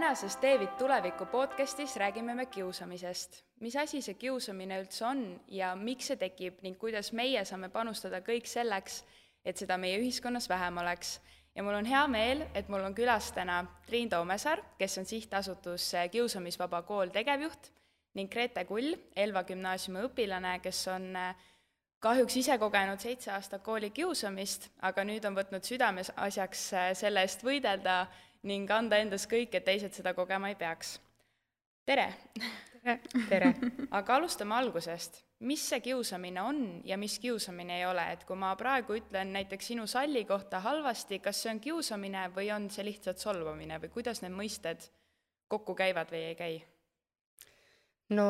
Tänases Teevid tuleviku podcastis räägime me kiusamisest. Mis asi see kiusamine üldse on ja miks see tekib ning kuidas meie saame panustada kõik selleks, et seda meie ühiskonnas vähem oleks. Ja mul on hea meel, et mul on külas täna Triin Toomesaar, kes on sihtasutus Kiusamisvaba kool tegevjuht, ning Grete Kull, Elva gümnaasiumi õpilane, kes on kahjuks ise kogenud 7 aastat kooli kiusamist, aga nüüd on võtnud südames asjaks selle eest võidelda ning anda endas kõik, et teised seda kogema ei peaks. Tere! Tere! Aga alustame algusest. Mis see kiusamine on ja mis kiusamine ei ole? Et kui ma praegu ütlen näiteks sinu salli kohta halvasti, kas see on kiusamine või on see lihtsalt solvamine või kuidas need mõisted kokku käivad või ei käi? No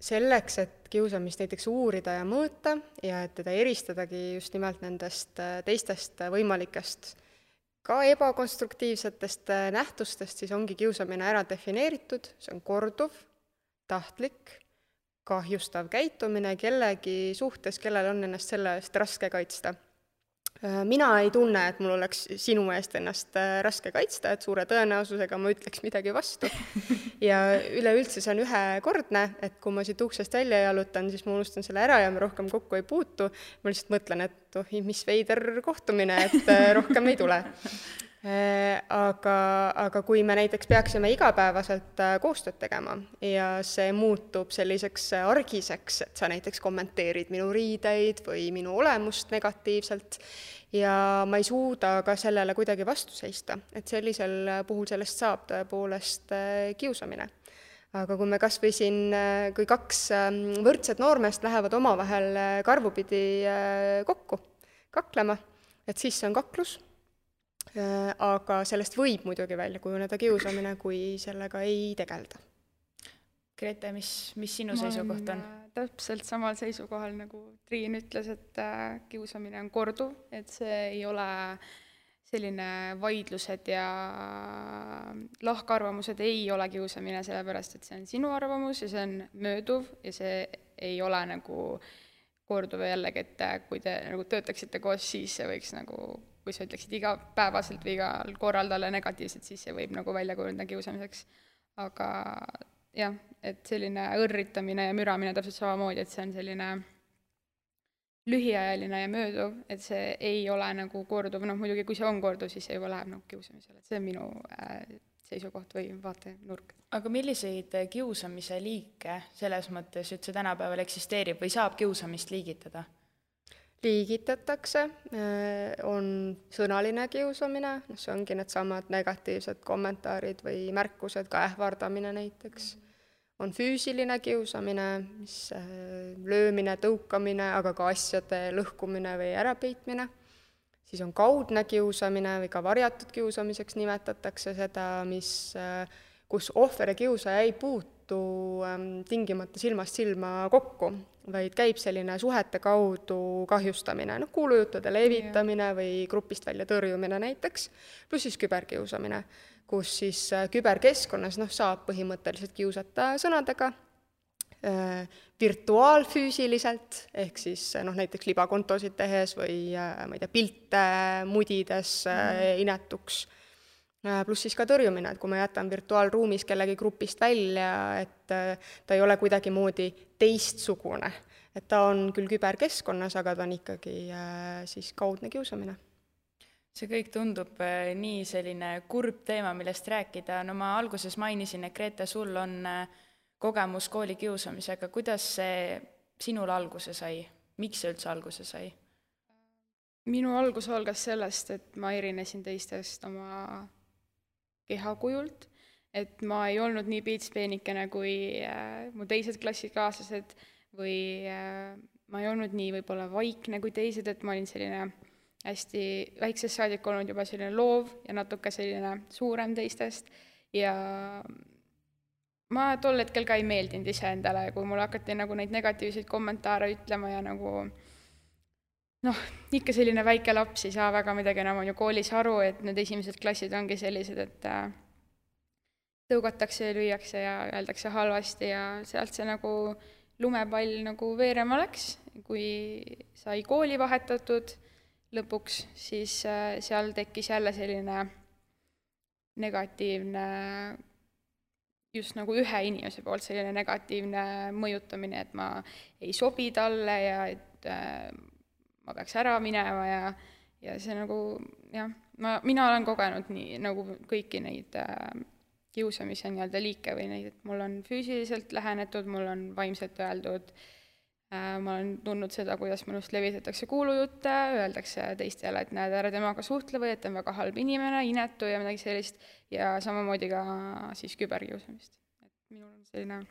selleks, et kiusamist näiteks uurida ja mõõta ja et teda eristadagi just nimelt nendest teistest võimalikest ka ebakonstruktiivsetest nähtustest, siis ongi kiusamine ära defineeritud, see on korduv, tahtlik, kahjustav käitumine kellegi suhtes, kellel on ennast selle eest raske kaitsta. Mina ei tunne, et mul oleks sinu eest ennast raske kaitsta, et suure tõenäosusega ma ütleks midagi vastu. Ja üleüldse see on ühekordne, et kui ma siit uksest välja jalutan, siis ma unustan selle ära ja ma rohkem kokku ei puutu. Ma lihtsalt mõtlen, et mis veider kohtumine, et rohkem ei tule. Aga kui me näiteks peaksime igapäevaselt koostööd tegema ja see muutub selliseks argiseks, et sa näiteks kommenteerid minu riideid või minu olemust negatiivselt ja ma ei suuda ka sellele kuidagi vastu seista, et sellisel puhul sellest saab tõepoolest kiusamine. Aga kui me kas või siin, kui 2 võrdset noormeest lähevad omavahel karvupidi kokku kaklema, et siis see on kaklus. Aga sellest võib muidugi välja kujuneda kiusamine, kui sellega ei tegelda. Grete, mis sinu seisukoht on? Täpselt samal seisukohal, nagu Triin ütles, et kiusamine on korduv, et see ei ole selline vaidlused ja lahkarvamused ei ole kiusamine, sellepärast et see on sinu arvamus ja see on mööduv ja see ei ole nagu korduv jällegi, et kui te nagu töötaksite koos, siis see võiks nagu kui sa ütleksid igapäevaselt või igal korral talle negatiivselt, siis see võib nagu välja kujuneda kiusamiseks. Aga jah, et selline õrritamine ja müramine täpselt samamoodi, et see on selline lühiajaline ja mööduv, et see ei ole nagu korduv, muidugi kui see on korduv, siis see juba läheb nagu kiusamisele, et see on minu seisukoht või vaatenurk. Aga milliseid kiusamise liike selles mõttes üldse tänapäeval eksisteerib või saab kiusamist liigitada? Liigitatakse, on sõnaline kiusamine, see ongi need samad negatiivsed kommentaarid või märkused, ka ähvardamine näiteks. On füüsiline kiusamine, mis löömine, tõukamine, aga ka asjade lõhkumine või ärapeitmine. Siis on kaudne kiusamine või ka varjatud kiusamiseks nimetatakse seda, kus ohver ja kiusaja ei puutu tingimata silmast silma kokku, vaid käib selline suhete kaudu kahjustamine, kuulujuttude levitamine või grupist välja tõrjumine näiteks, pluss siis küberkiusamine, kus siis küberkeskkonnas saab põhimõtteliselt kiusata sõnadega, virtuaalfüüsiliselt, ehk siis näiteks libakontosid tehes või ma ei tea, pilte mudides inetuks, pluss siis ka tõrjumine, et kui ma jätan virtuaalruumis kellegi grupist välja, et ta ei ole kuidagi moodi teistsugune, et ta on küll küberkeskkonnas, aga ta on ikkagi siis kaudne kiusamine. See kõik tundub nii selline kurb teema, millest rääkida. No ma alguses mainisin, et Grete, sul on kogemus kooli kiusamisega. Kuidas see sinul alguse sai? Miks see üldse alguse sai? Minu algus algas sellest, et ma erinesin teistest oma kehakujult, et ma ei olnud nii piitspeenikene kui mu teised klassikaaslased või ma ei olnud nii võib-olla vaikne kui teised, et ma olin selline hästi väiksest saadik olnud juba selline loov ja natuke selline suurem teistest ja ma tol hetkel ka ei meeldinud ise endale, kui mul hakati nagu neid negatiivseid kommentaare ütlema ja nagu ikka selline väike laps ei saa väga midagi enam on ju koolis aru, et need esimesed klassid ongi sellised, et tõugatakse ja lüüakse ja öeldakse halvasti ja sealt see nagu lumepall nagu veerema läks. Kui sai kooli vahetatud lõpuks, siis seal tekkis jälle selline negatiivne just nagu ühe inimese poolt selline negatiivne mõjutamine, et ma ei sobi talle ja et ma peaks ära minema ja see nagu jah, mina olen kogenud nii nagu kõiki neid kiusamise nii-öelda liike või neid, et mul on füüsiliselt lähenetud, mul on vaimselt öeldud, ma olen tundnud seda, kuidas minust levitatakse kuulujutte, öeldakse teistele, et näed, ära temaga suhtle või et ta on väga halb inimene, inetu ja midagi sellist, ja samamoodi ka siis küberkiusamist. Et minul on selline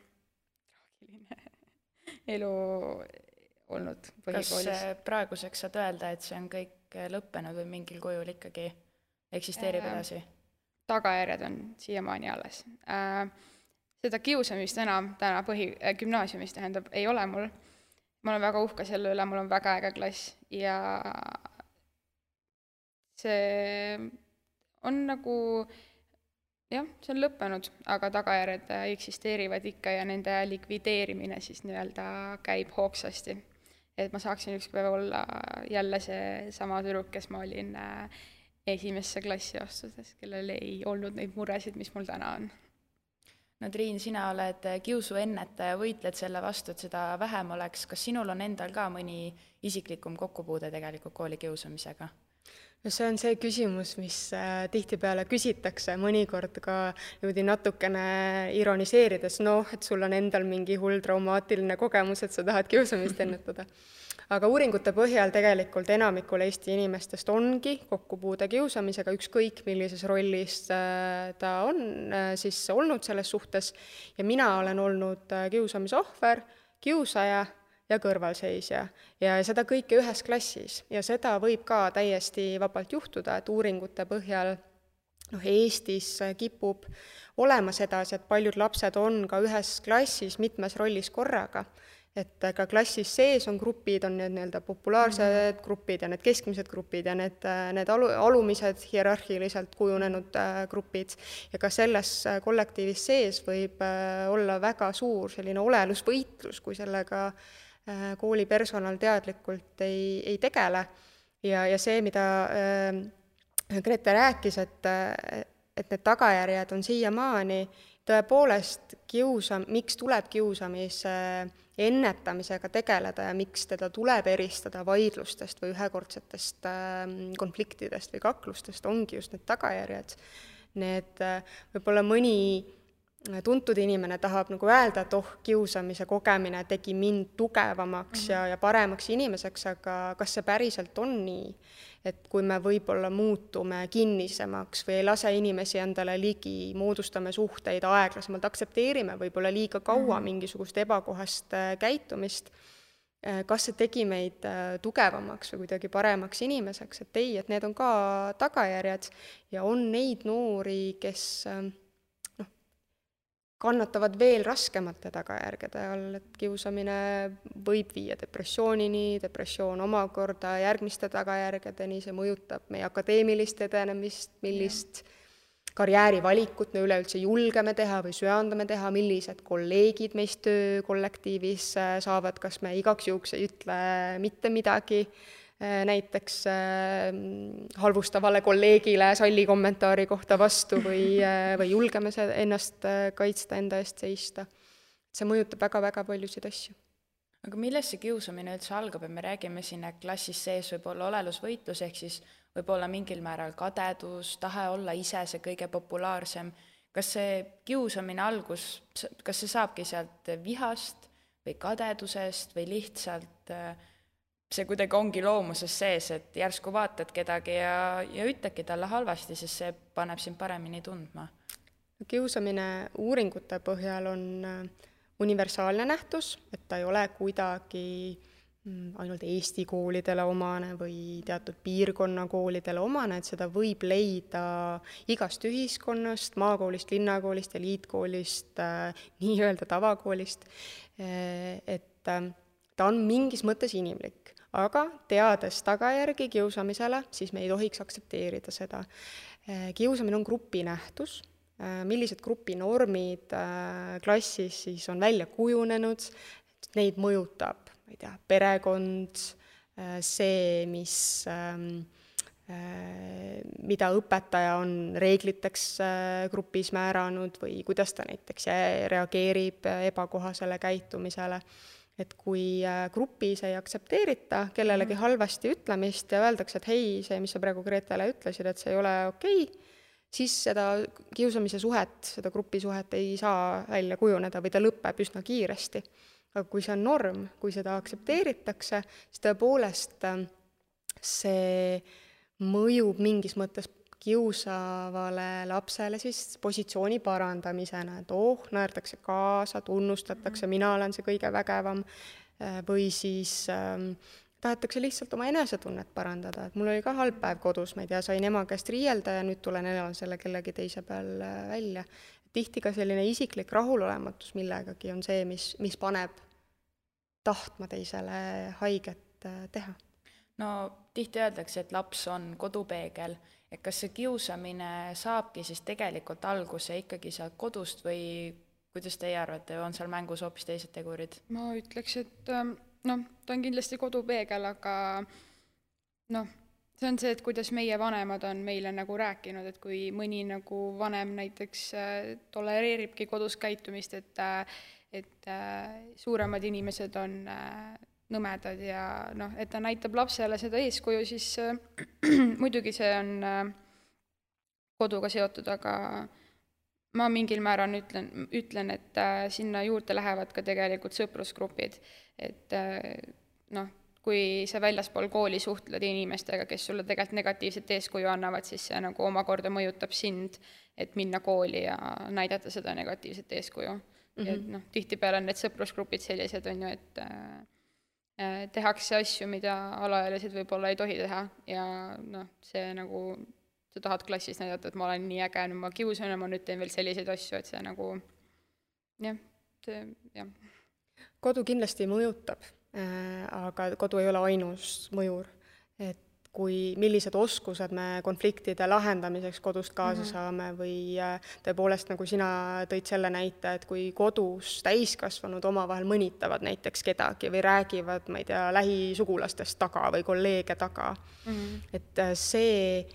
traagiline elu olnud põhikoolis. Kas praeguseks saad öelda, et see on kõik lõppenud või mingil kujul ikkagi eksisteerib edasi? Tagajärjed on siiamaani alles. Seda kiusamist enam täna gümnaasiumis tähendab, ei ole mul. Ma olen väga uhke selle üle, mul on väga äge klass ja see on nagu, jah, see on lõppenud, aga tagajärjed eksisteerivad ikka ja nende likvideerimine siis nii-öelda käib hoogsasti. Et ma saaksin üks päev olla jälle see sama tüdruk, kes ma olin esimesse klassi astudes, kellel ei olnud neid muresid, mis mul täna on. No Triin, sina oled kiusuennetaja, võitled selle vastu, et seda vähem oleks. Kas sinul on endal ka mõni isiklikum kokkupuude tegelikult koolikiusamisega? No see on see küsimus, mis tihtipeale küsitakse, mõnikord ka natukene ironiseerides, et sul on endal mingi hull traumaatiline kogemus, et sa tahad kiusamist ennetada. Aga uuringute põhjal tegelikult enamikul Eesti inimestest ongi kokkupuude kiusamisega, ükskõik millises rollis ta on siis olnud selles suhtes. Ja mina olen olnud kiusamise ohver, kiusaja ja kõrvalseisja ja seda kõike ühes klassis. Ja seda võib ka täiesti vabalt juhtuda, et uuringute põhjal Eestis kipub olema sedasi, et paljud lapsed on ka ühes klassis mitmes rollis korraga. Et ka klassis sees on grupid, on need nii-öelda populaarsed grupid ja need keskmised grupid ja need alumised hierarhiliselt kujunenud grupid. Ja ka selles kollektiivis sees võib olla väga suur selline olelusvõitlus, kui sellega koolipersonal teadlikult ei tegele. Ja see, mida Grete rääkis, et need tagajärjed on siiamaani, tõepoolest miks tuleb kiusamise ennetamisega tegeleda ja miks teda tuleb eristada vaidlustest või ühekordsetest konfliktidest või kaklustest, ongi just need tagajärjed. Need võib-olla mõni tuntud inimene tahab nagu öelda, et kiusamise kogemine tegi mind tugevamaks ja paremaks inimeseks, aga kas see päriselt on nii? Et kui me võib-olla muutume kinnisemaks või ei lase inimesi endale ligi, moodustame suhteid aeglasemalt, aktsepteerime võib-olla liiga kaua mingisugust ebakohast käitumist, kas see tegi meid tugevamaks või kuidagi paremaks inimeseks, et ei, et need on ka tagajärjed ja on neid noori, kes kannatavad veel raskemate tagajärgede all, et kiusamine võib viia depressioonini, depressioon omakorda järgmiste tagajärgedeni, see mõjutab meie akadeemilist edenemist, millist karjäärivalikut me üleüldse julgeme teha või söandame teha, millised kolleegid meist töökollektiivis saavad, kas me igaks juhuks ei ütle mitte midagi, näiteks halvustavale kolleegile salli kommentaari kohta vastu või julgeme ennast kaitsta, enda eest seista. See mõjutab väga-väga paljusid asju. Aga millest see kiusamine üldse algab, et me räägime siin, et klassis sees võib olla olelusvõitlus, ehk siis võib olla mingil määral kadedus, tahe olla ise see kõige populaarsem. Kas see kiusamine algus, kas see saabki sealt vihast või kadedusest või lihtsalt see kuidagi ongi loomuses sees, et järsku vaatad kedagi ja ütledki talle halvasti, sest see paneb sind paremini tundma? Kiusamine uuringute põhjal on universaalne nähtus, et ta ei ole kuidagi ainult Eesti koolidele omane või teatud piirkonna koolidele omane, et seda võib leida igast ühiskonnast, maakoolist, linnakoolist, eliitkoolist, nii-öelda tavakoolist, et ta on mingis mõttes inimlik. Aga teades tagajärgi kiusamisele, siis me ei tohiks aktsepteerida seda. Kiusamine on grupinähtus, millised grupinormid klassis siis on välja kujunenud, neid mõjutab, ma ei tea, perekond, see, mis mida õpetaja on reegliteks grupis määranud või kuidas ta näiteks reageerib ebakohasele käitumisele. Et kui grupis ei aktsepteerita kellelegi halvasti ütlemist ja öeldakse, et hei, see, mis sa praegu Gretele ütlesid, et see ei ole okei, siis seda kiusamise suhet, seda grupisuhet ei saa välja kujuneda või ta lõpeb üsna kiiresti. Aga kui see on norm, kui seda aktsepteeritakse, siis tõepoolest see mõjub mingis mõttes kiusavale lapsele siis positsiooni parandamisena, et naerdakse kaasa, tunnustatakse, mina olen see kõige vägevam, või siis tahetakse lihtsalt oma enesetunnet parandada, et mul oli ka halb päev kodus, ma ei tea, sain ema käest riielda ja nüüd tulen elan selle kellegi teise peal välja. Tihti ka selline isiklik rahulolematus millegagi on see, mis paneb tahtma teisele haiget teha. No tihti öeldakse, et laps on kodupeegel, et kas see kiusamine saabki siis tegelikult alguse ikkagi sealt kodust või kuidas teie arvate, on seal mängus hoopis teised tegurid? Ma ütleks, et ta on kindlasti kodupeegel, aga see on see, et kuidas meie vanemad on meile nagu rääkinud, et kui mõni nagu vanem näiteks tolereeribki kodus käitumist, et suuremad inimesed on nõmedad ja et ta näitab lapsele seda eeskuju, siis muidugi see on koduga seotud, aga ma mingil määral ütlen, et sinna juurde lähevad ka tegelikult sõprusgrupid, et kui sa väljaspool kooli suhtled inimestega, kes sulle tegelikult negatiivset eeskuju annavad, siis see nagu omakorda mõjutab sind, et minna kooli ja näidata seda negatiivset eeskuju. Et tihtipeale on need sõprusgrupid sellised, on ju, et tehakse asju, mida alaealised võib-olla ei tohi teha ja see nagu, sa tahad klassis näidata, et ma olen nii äge, ma kiusan ja ma nüüd teen veel selliseid asju, et see nagu, jah. Kodu kindlasti mõjutab, aga kodu ei ole ainus mõjur, et millised oskused me konfliktide lahendamiseks kodust kaasa saame või tõepoolest, nagu sina tõid selle näite, et kui kodus täiskasvanud omavahel mõnitavad näiteks kedagi või räägivad, ma ei tea, lähisugulastest taga või kolleege taga, et see,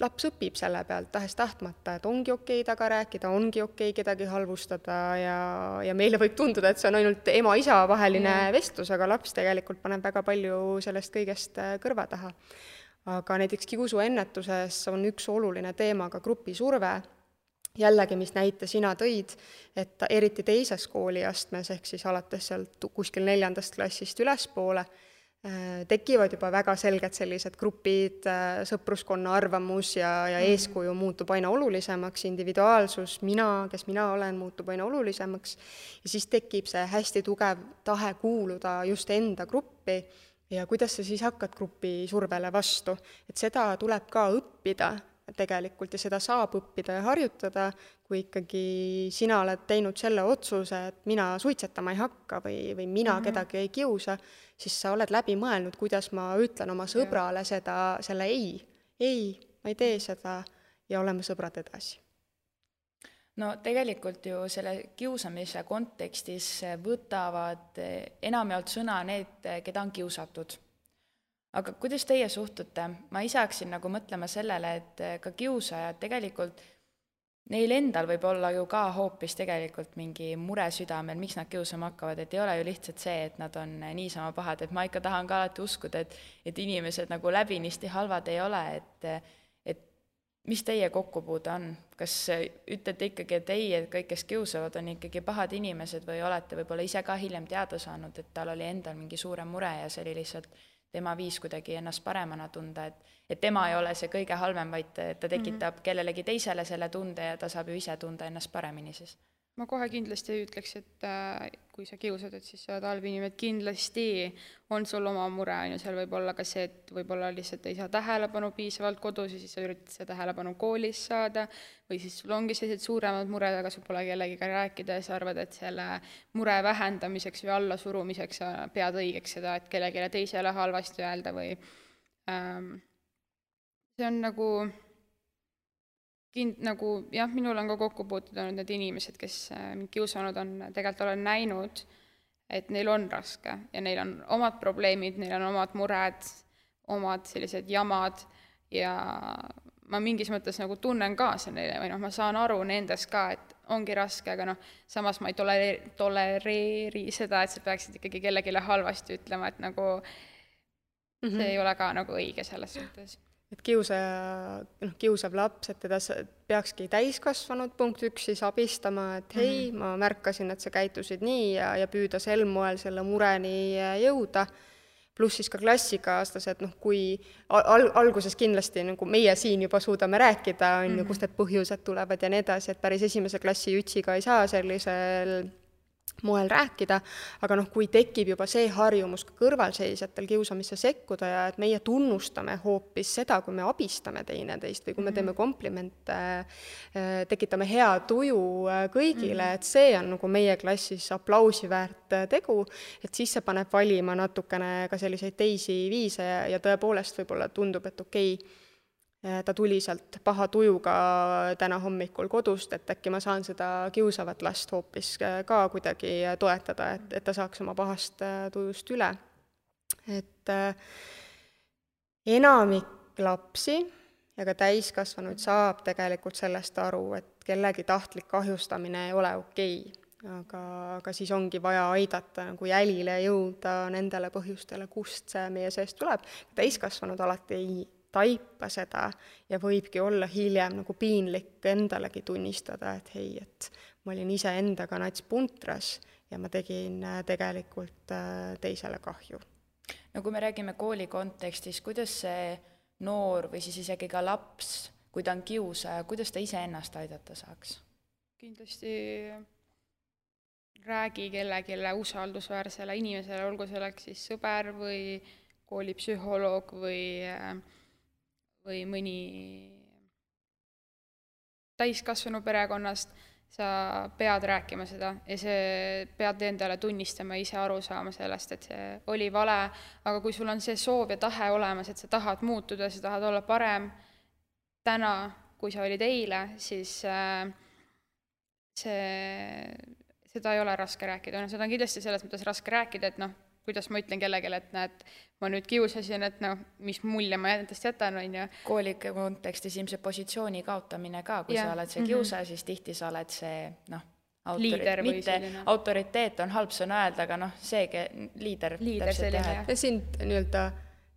laps õpib selle pealt tahes-tahtmata, et ongi okei taga rääkida, ongi okei kedagi halvustada ja meile võib tunduda, et see on ainult ema-isa vaheline vestlus, aga laps tegelikult paneb väga palju sellest kõigest kõrva taha. Aga näiteks kiusuennetuses on üks oluline teema ka grupisurve, jällegi, mis näite sina tõid, et eriti teises kooliastmes, ehk siis alates sealt kuskil 4. klassist ülespoole, tekivad juba väga selged sellised grupid, sõpruskonna arvamus ja eeskuju muutub aina olulisemaks, individuaalsus, kes mina olen, muutub aina olulisemaks ja siis tekib see hästi tugev tahe kuuluda just enda gruppi ja kuidas sa siis hakkad grupi survele vastu, et seda tuleb ka õppida tegelikult ja seda saab õppida ja harjutada, kui ikkagi sina oled teinud selle otsuse, et mina suitsetama ei hakka või mina kedagi ei kiusa, siis sa oled läbi mõelnud, kuidas ma ütlen oma sõbrale selle ei, ma ei tee seda ja oleme sõbrad edasi. No tegelikult ju selle kiusamise kontekstis võtavad enamjaolt sõna need, keda on kiusatud. Aga kuidas teie suhtute? Ma ise hakkasin nagu mõtlema sellele, et ka kiusajad tegelikult, neil endal võib olla ju ka hoopis tegelikult mingi mure südamel, miks nad kiusama hakkavad, et ei ole ju lihtsalt see, et nad on niisama pahad, et ma ikka tahan ka alati uskuda, et inimesed nagu läbinisti halvad ei ole, et mis teie kokkupuude on? Kas ütlete ikkagi, et ei, et kõik, kes kiusavad, on ikkagi pahad inimesed või olete võib-olla ise ka hiljem teada saanud, et tal oli endal mingi suurem mure ja see oli lihtsalt tema viis kuidagi ennast paremana tunda, et tema ei ole see kõige halvem, vaid ta tekitab kellelegi teisele selle tunde ja ta saab ju ise tunda ennast paremini siis? Ma kohe kindlasti ei ütleks, et kui sa kiusad, et siis sa oled halb inimene, et kindlasti on sul oma mure, seal võib olla ka see, et võib-olla lihtsalt ei saa tähelepanu piisavalt kodus ja siis sa üritad seda tähelepanu koolis saada või siis sul ongi sellised suuremad mured, aga sul pole kellegiga rääkida ja sa arvad, et selle mure vähendamiseks või allasurumiseks sa pead õigeks seda, et kellelegi teisele halvasti öelda või see on jah, minul on ka kokku puutud olnud need inimesed, kes mind kiusanud on, tegelikult olen näinud, et neil on raske ja neil on omad probleemid, neil on omad mured, omad sellised jamad ja ma mingis mõttes nagu tunnen kaasa neile või ma saan aru nendest ka, et ongi raske, aga samas ma ei tolereeri seda, et sa peaksid ikkagi kellelegi halvasti ütlema, et nagu see ei ole ka nagu õige selles suhtes. Et kiusav laps, et teda peakski täiskasvanud punkt 1 siis abistama, et hei, ma märkasin, et sa käitusid nii ja püüda sel moel selle mureni jõuda. Pluss siis ka klassikaaslased, kui alguses kindlasti nagu meie siin juba suudame rääkida, kust need põhjused tulevad ja nii edasi, et päris esimese klassi jutsiga ei saa sellisel moel rääkida, aga kui tekib juba see harjumus ka kõrvalseisjatel kiusamisse sekkuda ja et meie tunnustame hoopis seda, kui me abistame teineteist või kui me teeme komplimente, tekitame hea tuju kõigile, et see on nagu meie klassis aplausi väärt tegu, et siis see paneb valima natukene ka selliseid teisi viise ja tõepoolest võib-olla tundub, et okei, ta tuli sealt paha tujuga täna hommikul kodust, et äkki ma saan seda kiusavat last hoopis ka kuidagi toetada, et ta saaks oma pahast tujust üle. Et enamik lapsi ja ka täiskasvanuid saab tegelikult sellest aru, et kellegi tahtlik kahjustamine ei ole okei. Aga siis ongi vaja aidata nagu jälile jõuda nendele põhjustele, kust see meie seest tuleb. Täiskasvanud alati ei taipa seda ja võibki olla hiljem nagu piinlik endalegi tunnistada, et hei, et ma olin ise endaga nats puntras ja ma tegin tegelikult teisele kahju. No kui me räägime kooli kontekstis, kuidas see noor või siis isegi ka laps, kui ta on kiusaja, kuidas ta ise ennast aidata saaks? Kindlasti räägi kellelegi usaldusväärsele inimesele, olgu selleks siis sõber või koolipsühholoog või mõni täiskasvanu perekonnast, sa pead rääkima seda ja see pead endale tunnistama ja ise aru saama sellest, et see oli vale, aga kui sul on see soov ja tahe olemas, et sa tahad muutuda, sa tahad olla parem täna, kui sa olid eile, siis seda ei ole raske rääkida. Seda on kindlasti selles mõttes raske rääkida, et kuidas ma ütlen kellelegi, et näed, ma nüüd kiusasin, et mis mulje ma endast jätan, on ju. Kooli kontekstis ilmselt positsiooni kaotamine ka, kui sa oled see kiusaja, siis tihti sa oled see, autoriteet on halb sõna öelda, aga see liider selline. Ja sind nii-öelda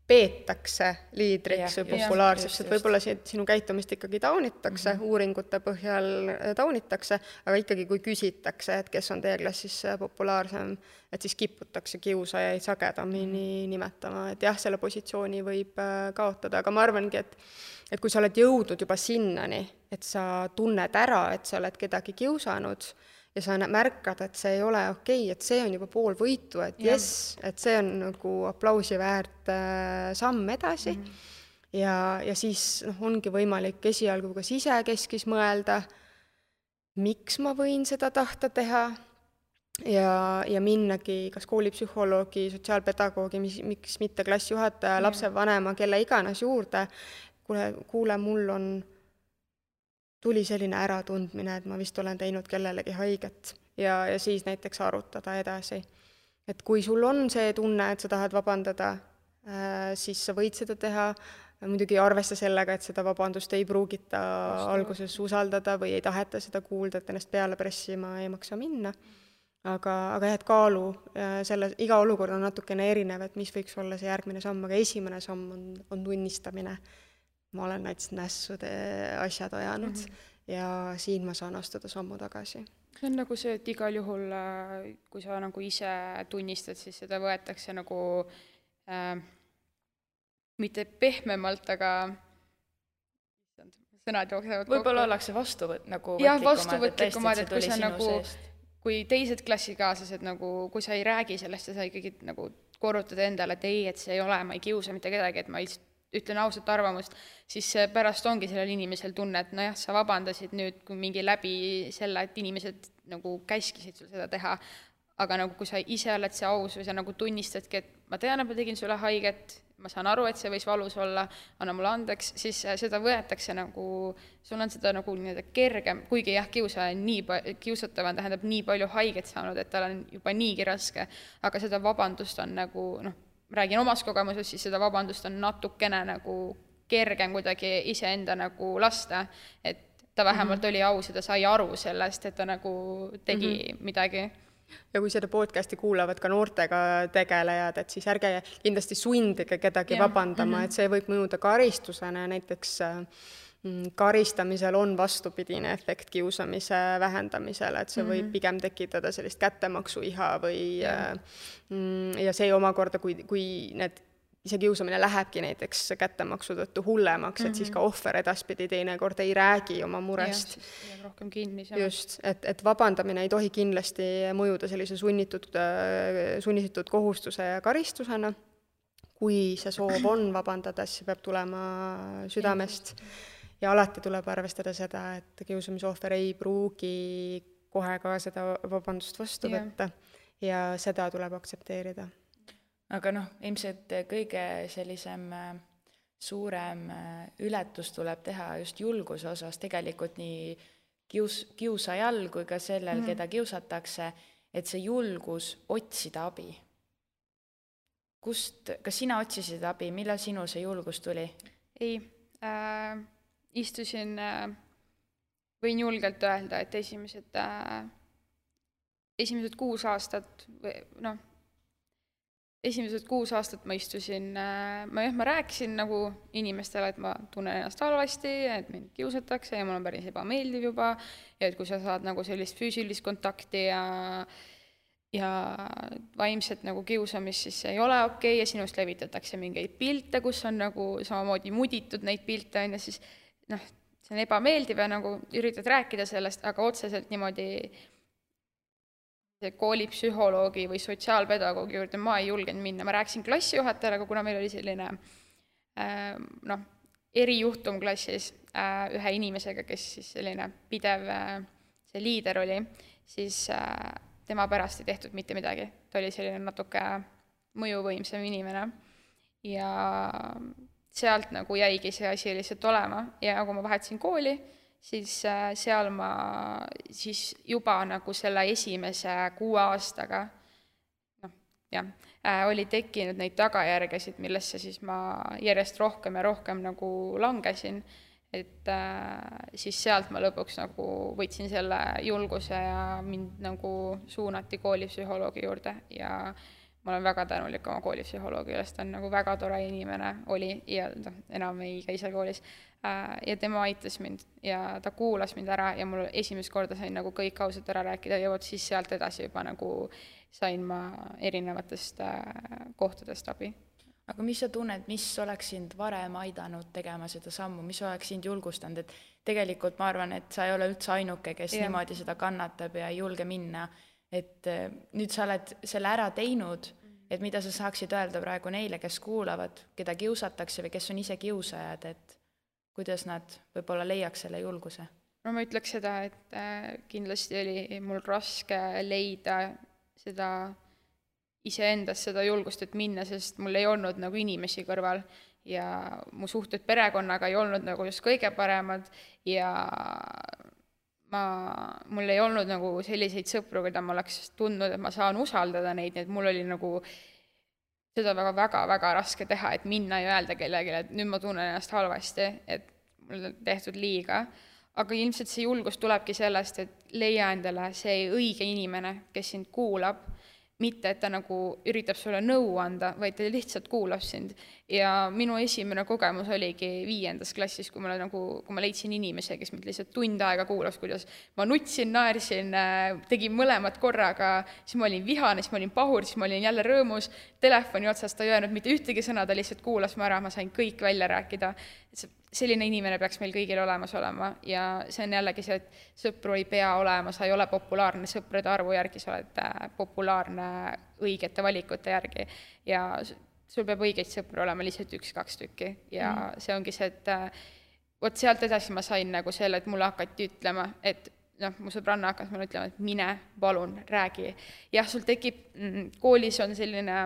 peetakse liidriks või populaarseks, et võib-olla sinu käitumist ikkagi taunitakse, uuringute põhjal taunitakse, aga ikkagi kui küsitakse, et kes on teie klassis populaarsem, et siis kiputakse kiusajaid sagedamini nimetama, et jah, selle positsiooni võib kaotada, aga ma arvangi, et kui sa oled jõudnud juba sinnani, et sa tunned ära, et sa oled kedagi kiusanud, ja sa märkad, et see ei ole okei, et see on juba pool võitu, et et see on nagu aplausi väärt samm edasi. Ja siis ongi võimalik esialgu kas isekeskis mõelda, miks ma võin seda tahta teha ja minnagi kas koolipsühholoogi, sotsiaalpedagoogi, miks mitte klassijuhataja, lapsevanema, kelle iganes juurde, kuule, mul tuli selline äratundmine, et ma vist olen teinud kellelegi haiget ja siis näiteks arutada edasi. Et kui sul on see tunne, et sa tahad vabandada, siis sa võid seda teha, muidugi arvesta sellega, et seda vabandust ei pruugita alguses usaldada või ei taheta seda kuulda, et ennast peale pressima ei maksa minna. Aga et kaalu, iga olukord on natukene erinev, et mis võiks olla see järgmine samm, aga esimene samm on tunnistamine. Ma olen nässude asjad ajanud ja siin ma saan astuda sammu tagasi. See on nagu see, et igal juhul, kui sa nagu ise tunnistad, siis seda võetakse nagu mitte pehmemalt, aga sõnad jooksevad kokku. Võib-olla ollakse vastuvõtlikumad, et kui sa nagu, kui teised klassikaaslased, kui sa ei räägi sellest ja sa ikkagi nagu korrutad endale, et ei, et see ei ole, ma ei kiusa mitte kedagi, et ma ütlen ausat arvamust, siis pärast ongi sellel inimesel tunne, et nojah, sa vabandasid nüüd kui mingi läbi selle, et inimesed nagu käskisid sul seda teha, aga nagu kui sa ise oled see aus või sa nagu tunnistadki, et ma tean, et ma tegin sulle haiget, ma saan aru, et see võis valus olla, anna mulle andeks, siis seda võetakse nagu, sul on seda nagu kergem, kuigi jah, kiusatav on tähendab nii palju haiget saanud, et tal on juba niigi raske, aga seda vabandust on nagu, räägin omast kogemusest, siis seda vabandust on natukene nagu kergem kuidagi iseenda nagu lasta, et ta vähemalt oli aus ja ta sai aru sellest, et ta nagu tegi midagi. Ja kui seda podcasti kuulavad ka noortega tegelejad, et siis ärge kindlasti sundige kedagi vabandama, et see võib mõjuda karistusena, näiteks karistamisel on vastupidine efekt kiusamise vähendamisele, et see võib pigem tekitada sellist kättemaksuiha või ja see omakorda, kui see kiusamine lähebki näiteks kättemaksu tõttu hullemaks, et siis ka ohver edaspidi teinekord ei räägi oma murest. Rohkem kinni. Just, et vabandamine ei tohi kindlasti mõjuda sellise sunnitud kohustuse ja karistusena. Kui see soov on vabandada, siis peab tulema südamest. Ja alati tuleb arvestada seda, et kiusamisohver ei pruugi kohe ka seda vabandust vastu võtta ja seda tuleb aktsepteerida. Aga ilmselt kõige sellisem suurem ületus tuleb teha just julguse osas, tegelikult nii kiusajal kui ka sellel, keda kiusatakse, et see julgus otsida abi. Kas sina otsisid abi, millal sinu see julgus tuli? Ei, istusin, võin julgelt öelda, et esimesed 6 aastat esimesed 6 aastat ma istusin, ma rääkisin nagu inimestele, et ma tunnen ennast halvasti, et mind kiusatakse ja mul on päris ebameeldiv juba ja et kui sa saad nagu sellist füüsilist kontakti ja vaimset nagu kiusamist, siis see ei ole okei ja sinust levitatakse mingeid pilte, kus on nagu samamoodi muditud neid pilte, siis see on ebameeldiv ja nagu üritad rääkida sellest, aga otseselt niimoodi koolipsühholoogi või sotsiaalpedagoogi juurde ma ei julgenud minna. Ma rääkisin klassijuhatajale, aga kuna meil oli selline erijuhtum klassis ühe inimesega, kes siis selline pidev see liider oli, siis tema pärast ei tehtud mitte midagi. Ta oli selline natuke mõjuvõimsam inimene ja sealt nagu jäigi see asi lihtsalt olema ja kui ma vahetasin kooli, siis seal ma siis juba nagu selle esimese 6 aastaga oli tekkinud neid tagajärgesid, millesse siis ma järjest rohkem ja rohkem nagu langesin, et siis sealt ma lõpuks nagu võtsin selle julguse ja mind nagu suunati koolipsühholoogi juurde ja ma olen väga tänulik oma koolipsühholoogile, sest ta on nagu väga tore inimene oli ja enam ei käi seal koolis ja tema aitas mind ja ta kuulas mind ära ja mul esimest korda sain nagu kõik ausalt ära rääkida ja vot siis sealt edasi juba nagu sain ma erinevatest kohtadest abi. Aga mis sa tunned, mis oleks sind varem aidanud tegema seda sammu, mis oleks sind julgustanud, et tegelikult ma arvan, et sa ei ole üldse ainuke, kes niimoodi seda kannatab ja ei julge minna, et nüüd sa oled selle ära teinud, et mida sa saaksid öelda praegu neile, kes kuulavad, keda kiusatakse või kes on ise kiusajad, et kuidas nad võib-olla leiaks selle julguse? No ma ütleks seda, et kindlasti oli mul raske leida seda iseendas seda julgust, et minna, sest mul ei olnud nagu inimesi kõrval ja mu suhted perekonnaga ei olnud nagu just kõige paremad ja mul ei olnud nagu selliseid sõpru, keda ma oleks tundnud, et ma saan usaldada neid, nii et mul oli nagu seda väga raske teha, et minna ja öelda kellelegi, et nüüd ma tunnen ennast halvasti, et mul on tehtud liiga. Aga ilmselt see julgus tulebki sellest, et leia endale see õige inimene, kes sind kuulab, mitte et ta nagu üritab sulle nõu anda, vaid ta lihtsalt kuulab sind. Ja minu esimene kogemus oligi 5. klassis, kui ma leidsin inimese, kes mind lihtsalt tund aega kuulas, kuidas ma nutsin, naersin, tegin mõlemad korraga, siis ma olin vihane, siis ma olin pahur, siis ma olin jälle rõõmus, telefoni otsast ta ei öelnud mitte ühtegi sõna, ta lihtsalt kuulas ma ära, ma sain kõik välja rääkida. Selline inimene peaks meil kõigil olemas olema ja see on jällegi see, et sõpru ei pea olema, sa ei ole populaarne sõprade arvu järgi, sa oled populaarne õigete valikute järgi ja sul peab õigeid sõpru olema lihtsalt 1-2 tükki ja see ongi see, et vot sealt edasi ma sain nagu selle, et mulle hakati ütlema, et mu sõbranna hakkas mulle ütlema, et mine, palun, räägi. Jah, sul tekib, koolis on selline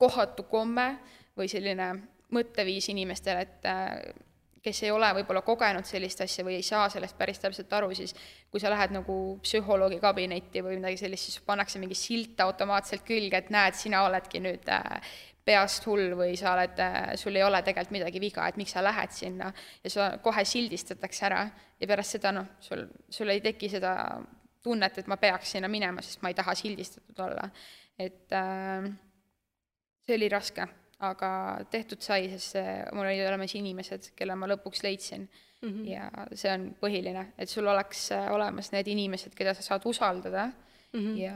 kohatu komme või selline mõtteviis inimestele, et kes ei ole võib-olla kogenud sellist asja või ei saa sellest päris täpselt aru, siis kui sa lähed nagu psühholoogi kabinetti või midagi sellist, siis pannakse mingi silt automaatselt külge, et näed, sina oledki nüüd peast hull või sa oled, sul ei ole tegelikult midagi viga, et miks sa lähed sinna ja sa kohe sildistatakse ära ja pärast seda sul ei teki seda tunnet, et ma peaks sinna minema, sest ma ei taha sildistatud olla. Et see oli raske, aga tehtud sai, sest mul oli olemas inimesed, kelle ma lõpuks leidsin ja see on põhiline, et sul oleks olemas need inimesed, keda sa saad usaldada ja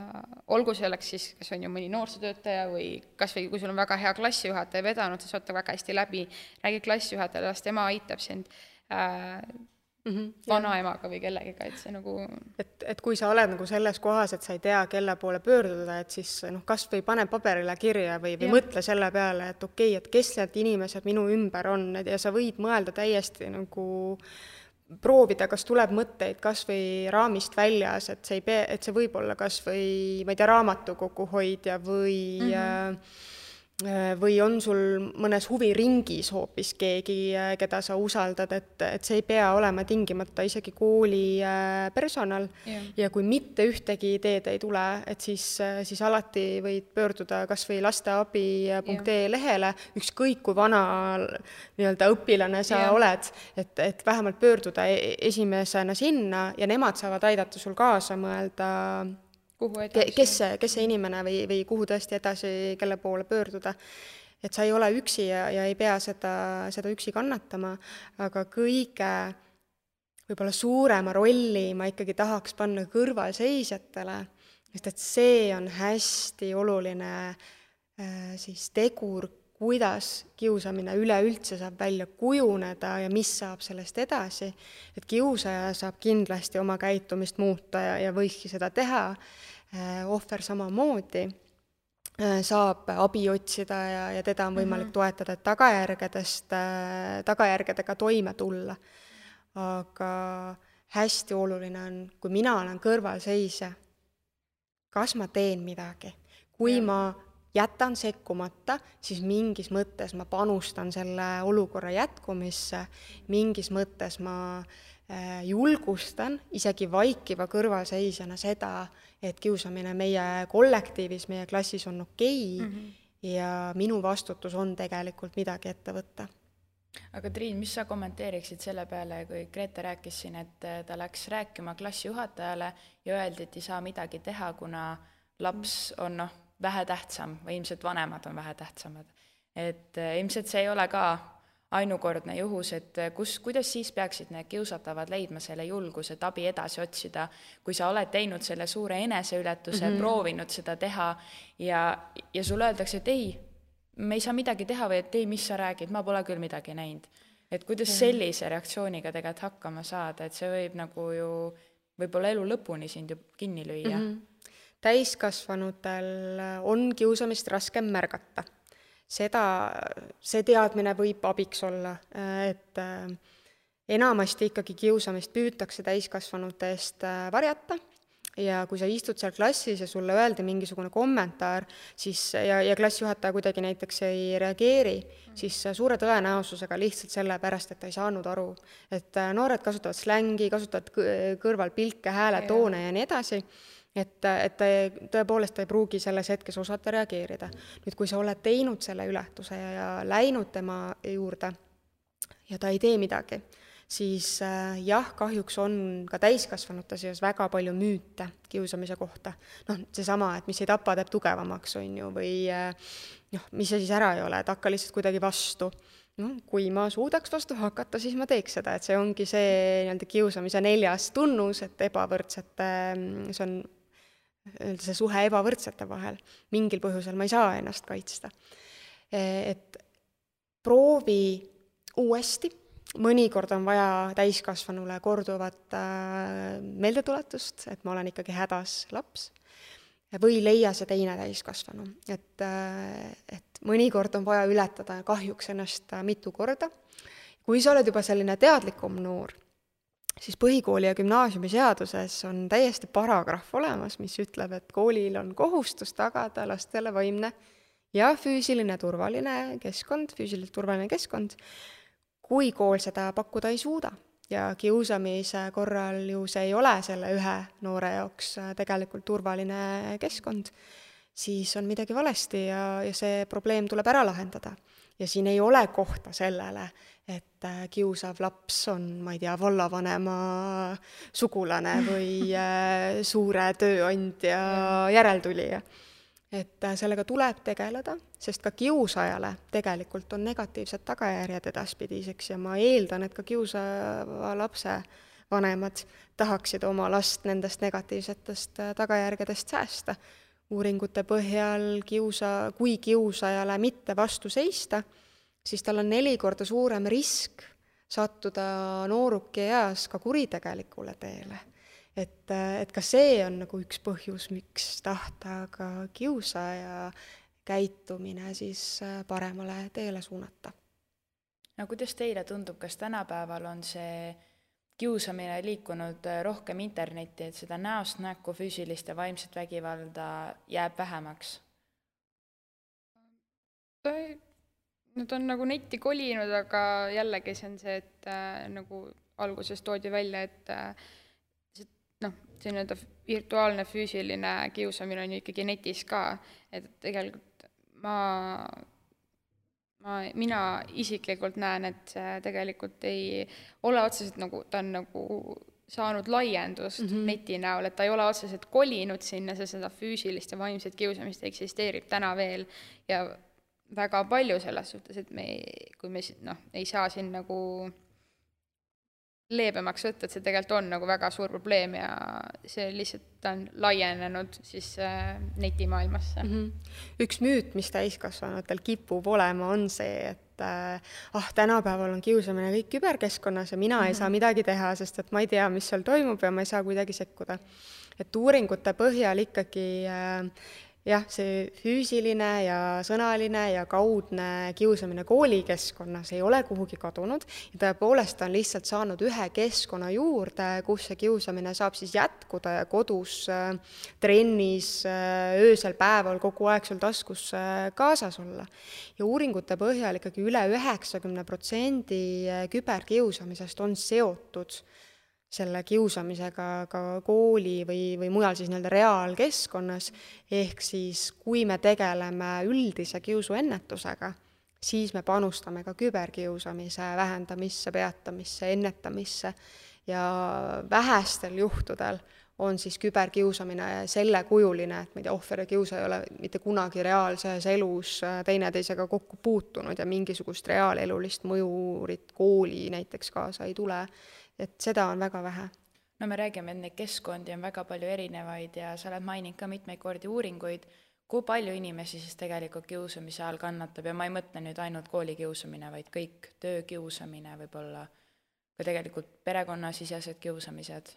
olgu selleks siis, kas on ju mõni noorsootöötaja või kas või kui sul on väga hea klassijuhataja vedanud, sa saad väga hästi läbi, räägi klassijuhatajale, las tema aitab sind vanaemaga või kellegiga, et see nagu... Et kui sa oled nagu selles kohas, et sa ei tea, kelle poole pöörduda, et siis kas või pane paberile kirja või mõtle selle peale, et okei, et kes need inimesed minu ümber on ja sa võid mõelda täiesti nagu proovida, kas tuleb mõtteid kas või raamist väljas, et see võib olla kas või, ma ei tea, raamatukoguhoidja või on sul mõnes huviringis hoopis keegi, keda sa usaldad, et see ei pea olema tingimata isegi kooli personal ja kui mitte ühtegi ideed ei tule, et siis alati võid pöörduda kas või lasteabi.ee lehele, ükskõik kui vana nii-öelda õpilane sa oled, et vähemalt pöörduda esimesena sinna ja nemad saavad aidata sul kaasa mõelda, kes see inimene või kuhu tõesti edasi, kelle poole pöörduda. Et sa ei ole üksi ja ei pea seda üksi kannatama, aga kõige võib-olla suurema rolli ma ikkagi tahaks panna kõrvalseisjatele, sest et see on hästi oluline siis tegur, kuidas kiusamine üleüldse saab välja kujuneda ja mis saab sellest edasi. Et kiusaja saab kindlasti oma käitumist muuta ja võikski seda teha, ohver samamoodi saab abi otsida ja teda on võimalik toetada, et tagajärgedega toime tulla. Aga hästi oluline on, kui mina olen kõrvalseisja, kas ma teen midagi. Kui ma jätan sekkumata, siis mingis mõttes ma panustan selle olukorra jätkumisse, mingis mõttes ma julgustan isegi vaikiva kõrvalseisjana seda, et kiusamine meie kollektiivis, meie klassis on okei ja minu vastutus on tegelikult midagi ette võtta. Aga Triin, mis sa kommenteeriksid selle peale, kui Grete rääkis siin, et ta läks rääkima klassijuhatajale ja öeldi, et ei saa midagi teha, kuna laps on vähe tähtsam või ilmselt vanemad on vähe tähtsamad. Et ilmselt see ei ole ka ainukordne juhus, et kuidas siis peaksid need kiusatavad leidma selle julguse, et abi edasi otsida, kui sa oled teinud selle suure eneseületuse, proovinud seda teha ja sulle öeldakse, et ei, me ei saa midagi teha või et ei, mis sa räägid, ma pole küll midagi näinud. Et kuidas sellise reaktsiooniga tegelikult hakkama saada, et see võib nagu ju võib-olla elu lõpuni sind ju kinni lüüa. Täiskasvanutel on kiusamist raskem märgata. See teadmine võib abiks olla, et enamasti ikkagi kiusamist püütakse täiskasvanute eest varjata ja kui sa istud seal klassis ja sulle öeldi mingisugune kommentaar siis, ja klassijuhataja kuidagi näiteks ei reageeri, siis suure tõenäosusega lihtsalt selle pärast, et ta ei saanud aru. Et noored kasutavad slängi, kasutavad kõrvalpilke, hääletoone ja nii edasi. Et tõepoolest ta ei pruugi selles hetkes osata reageerida. Nüüd, kui sa oled teinud selle ületuse ja läinud tema juurde ja ta ei tee midagi, siis jah, kahjuks on ka täiskasvanute seas väga palju müüte kiusamise kohta. Seesama, et mis ei tapa, teeb tugevamaks, on ju, või mis see siis ära ei ole, et hakka lihtsalt kuidagi vastu. Kui ma suudaks vastu hakata, siis ma teeks seda, et see ongi see kiusamise 4. tunnus, et ebavõrdsete, see on see suhe ebavõrdsete vahel. Mingil põhjusel ma ei saa ennast kaitsta. Et proovi uuesti, mõnikord on vaja täiskasvanule korduvat meeldetuletust, et ma olen ikkagi hädas laps, või leia see teine täiskasvanu. Et mõnikord on vaja ületada kahjuks ennast mitu korda. Kui sa oled juba selline teadlikum noor, siis põhikooli ja gümnaasiumi seaduses on täiesti paragrahv olemas, mis ütleb, et koolil on kohustus tagada lastele vaimne ja füüsiliselt turvaline keskkond, kui kool seda pakkuda ei suuda ja kiusamise korral ju see ei ole selle ühe noore jaoks tegelikult turvaline keskkond, siis on midagi valesti ja see probleem tuleb ära lahendada. Ja siin ei ole kohta sellele, et kiusav laps on, ma ei tea, vallavanema sugulane või suure tööandja järeltulija. Et sellega tuleb tegeleda, sest ka kiusajale tegelikult on negatiivsed tagajärjed edaspidiseks ja ma eeldan, et ka kiusava lapse vanemad tahaksid oma last nendest negatiivsetest tagajärgedest säästa. Uuringute põhjal kui kiusajale mitte vastu seista, siis tal on 4 korda suurem risk sattuda nooruki eas ka kuritegelikule teele. Et ka see on nagu üks põhjus, miks tahta ka kiusaja käitumine siis paremale teele suunata. No kuidas teile tundub, kas tänapäeval on see kiusamine liikunud rohkem internetti, et seda näost näkku füüsilist ja vaimset vägivalda jääb vähemaks? Nad on nagu netti kolinud, aga jällegi see on see, et nagu alguses toodi välja, et see nii-öelda virtuaalne füüsiline kiusamine on ju ikkagi netis ka, et tegelikult mina isiklikult näen, et see tegelikult ei ole otseselt nagu, ta on nagu saanud laiendust neti näol, et ta ei ole otseselt kolinud sinna, seda füüsilist ja vaimset kiusamist eksisteerib täna veel ja väga palju selles suhtes, et kui me ei saa siin nagu leebemaks võtta, et see tegelikult on nagu väga suur probleem ja see lihtsalt on laienenud siis netimaailmasse. Üks müüt, mis täiskasvanutel kipub olema, on see, et tänapäeval on kiusamine kõik küberkeskkonnas ja mina ei saa midagi teha, sest et ma ei tea, mis seal toimub ja ma ei saa kuidagi sekkuda. Et uuringute põhjal ikkagi jah, see füüsiline ja sõnaline ja kaudne kiusamine koolikeskkonnas ei ole kuhugi kadunud ja tõepoolest on lihtsalt saanud ühe keskkonna juurde, kus see kiusamine saab siis jätkuda ja kodus, trennis, öösel päeval kogu aeg sul taskus kaasas olla. Ja uuringute põhjal ikkagi üle 90% küberkiusamisest on seotud selle kiusamisega ka kooli või mujal siis nii-öelda reaalkeskkonnas, ehk siis kui me tegeleme üldise kiusuennetusega, siis me panustame ka küberkiusamise vähendamisse, peatamisse, ennetamisse ja vähestel juhtudel on siis küberkiusamine selle kujuline, et ma ei tea, ohver ja kiusa ei ole mitte kunagi reaalses elus teineteisega kokku puutunud ja mingisugust reaalelulist mõjurit kooli näiteks kaasa ei tule. Et seda on väga vähe. No me räägime, et neid keskkondi on väga palju erinevaid ja sa oled maininud ka mitmeid kordi uuringuid, kui palju inimesi siis tegelikult kiusamise all kannatab ja ma ei mõtle nüüd ainult koolikiusamine, vaid kõik töökiusamine võib-olla, ka tegelikult perekonnasisesed kiusamised.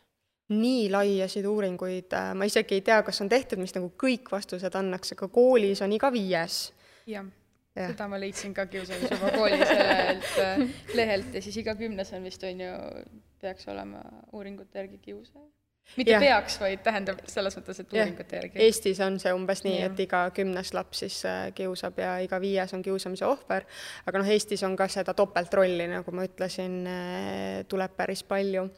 Nii laiasid uuringuid, ma isegi ei tea, kas on tehtud, mis nagu kõik vastused annaks, aga koolis on iga 5. Jah. Seda ma leidsin ka kiusamise oma koolis lehelt ja siis iga 10 on vist on ju peaks olema uuringute järgi kiusaja. Mitte peaks, vaid tähendab selles mõttes, et uuringute järgi. Eestis on see umbes nii, et iga 10 laps siis kiusab ja iga 5 on kiusamise ohver, aga Eestis on ka seda topeltrolli, nagu ma ütlesin, tuleb päris palju.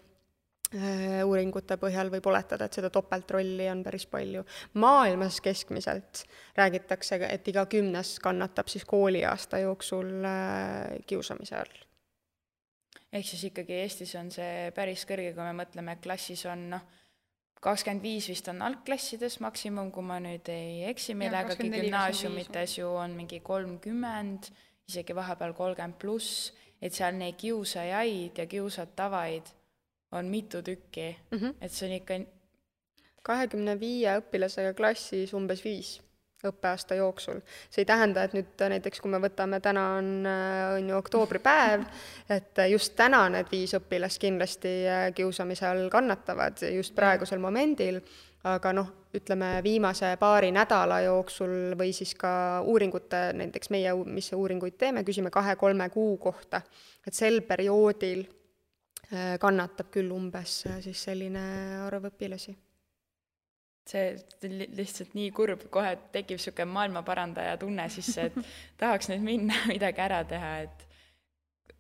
Uuringute põhjal võib oletada, et seda topeltrolli on päris palju. Maailmas keskmiselt räägitakse, et iga 10 kannatab siis kooliaasta jooksul kiusamise all. Ehk siis ikkagi Eestis on see päris kõrge, kui me mõtleme, klassis on 25 vist on algklassides maksimum, kui ma nüüd ei eksi, millegagi gümnaasiumites ju on mingi 30, isegi vahepeal 30+, et seal neid kiusajaid ja kiusatavaid on mitu tükki, et see on ikka 25 õpilasega klassis umbes 5 õppeaasta jooksul. See ei tähenda, et nüüd näiteks, kui me võtame, täna on ju oktoobripäev, et just täna need 5 õpilast kindlasti kiusamise all kannatavad just praegusel momendil, aga ütleme viimase paari nädala jooksul või siis ka uuringute, näiteks meie, mis uuringuid teeme, küsime 2-3 kuu kohta, et sel perioodil kannatab küll umbes siis selline arv õpilasi. See lihtsalt nii kurb, kohe tekib niisugune maailmaparandaja tunne sisse, et tahaks nüüd minna midagi ära teha, et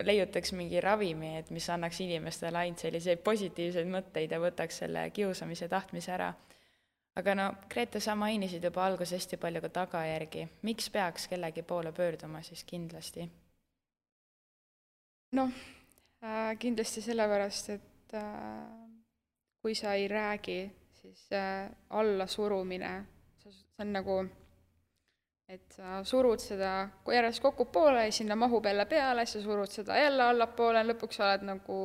leiutaks mingi ravimi, et mis annaks inimestele ainult selliseid positiivseid mõtteid ja võtaks selle kiusamise tahtmise ära. Aga no, Grete, sa mainisid juba alguses hästi palju ka tagajärgi. Miks peaks kellegi poole pöörduma siis kindlasti? Noh, kindlasti sellepärast, et kui sa ei räägi, siis alla surumine, see on nagu, et sa surud seda, kui järjest kokku poole ja sinna mahub jälle peale, sa surud seda jälle allapoole, lõpuks sa oled nagu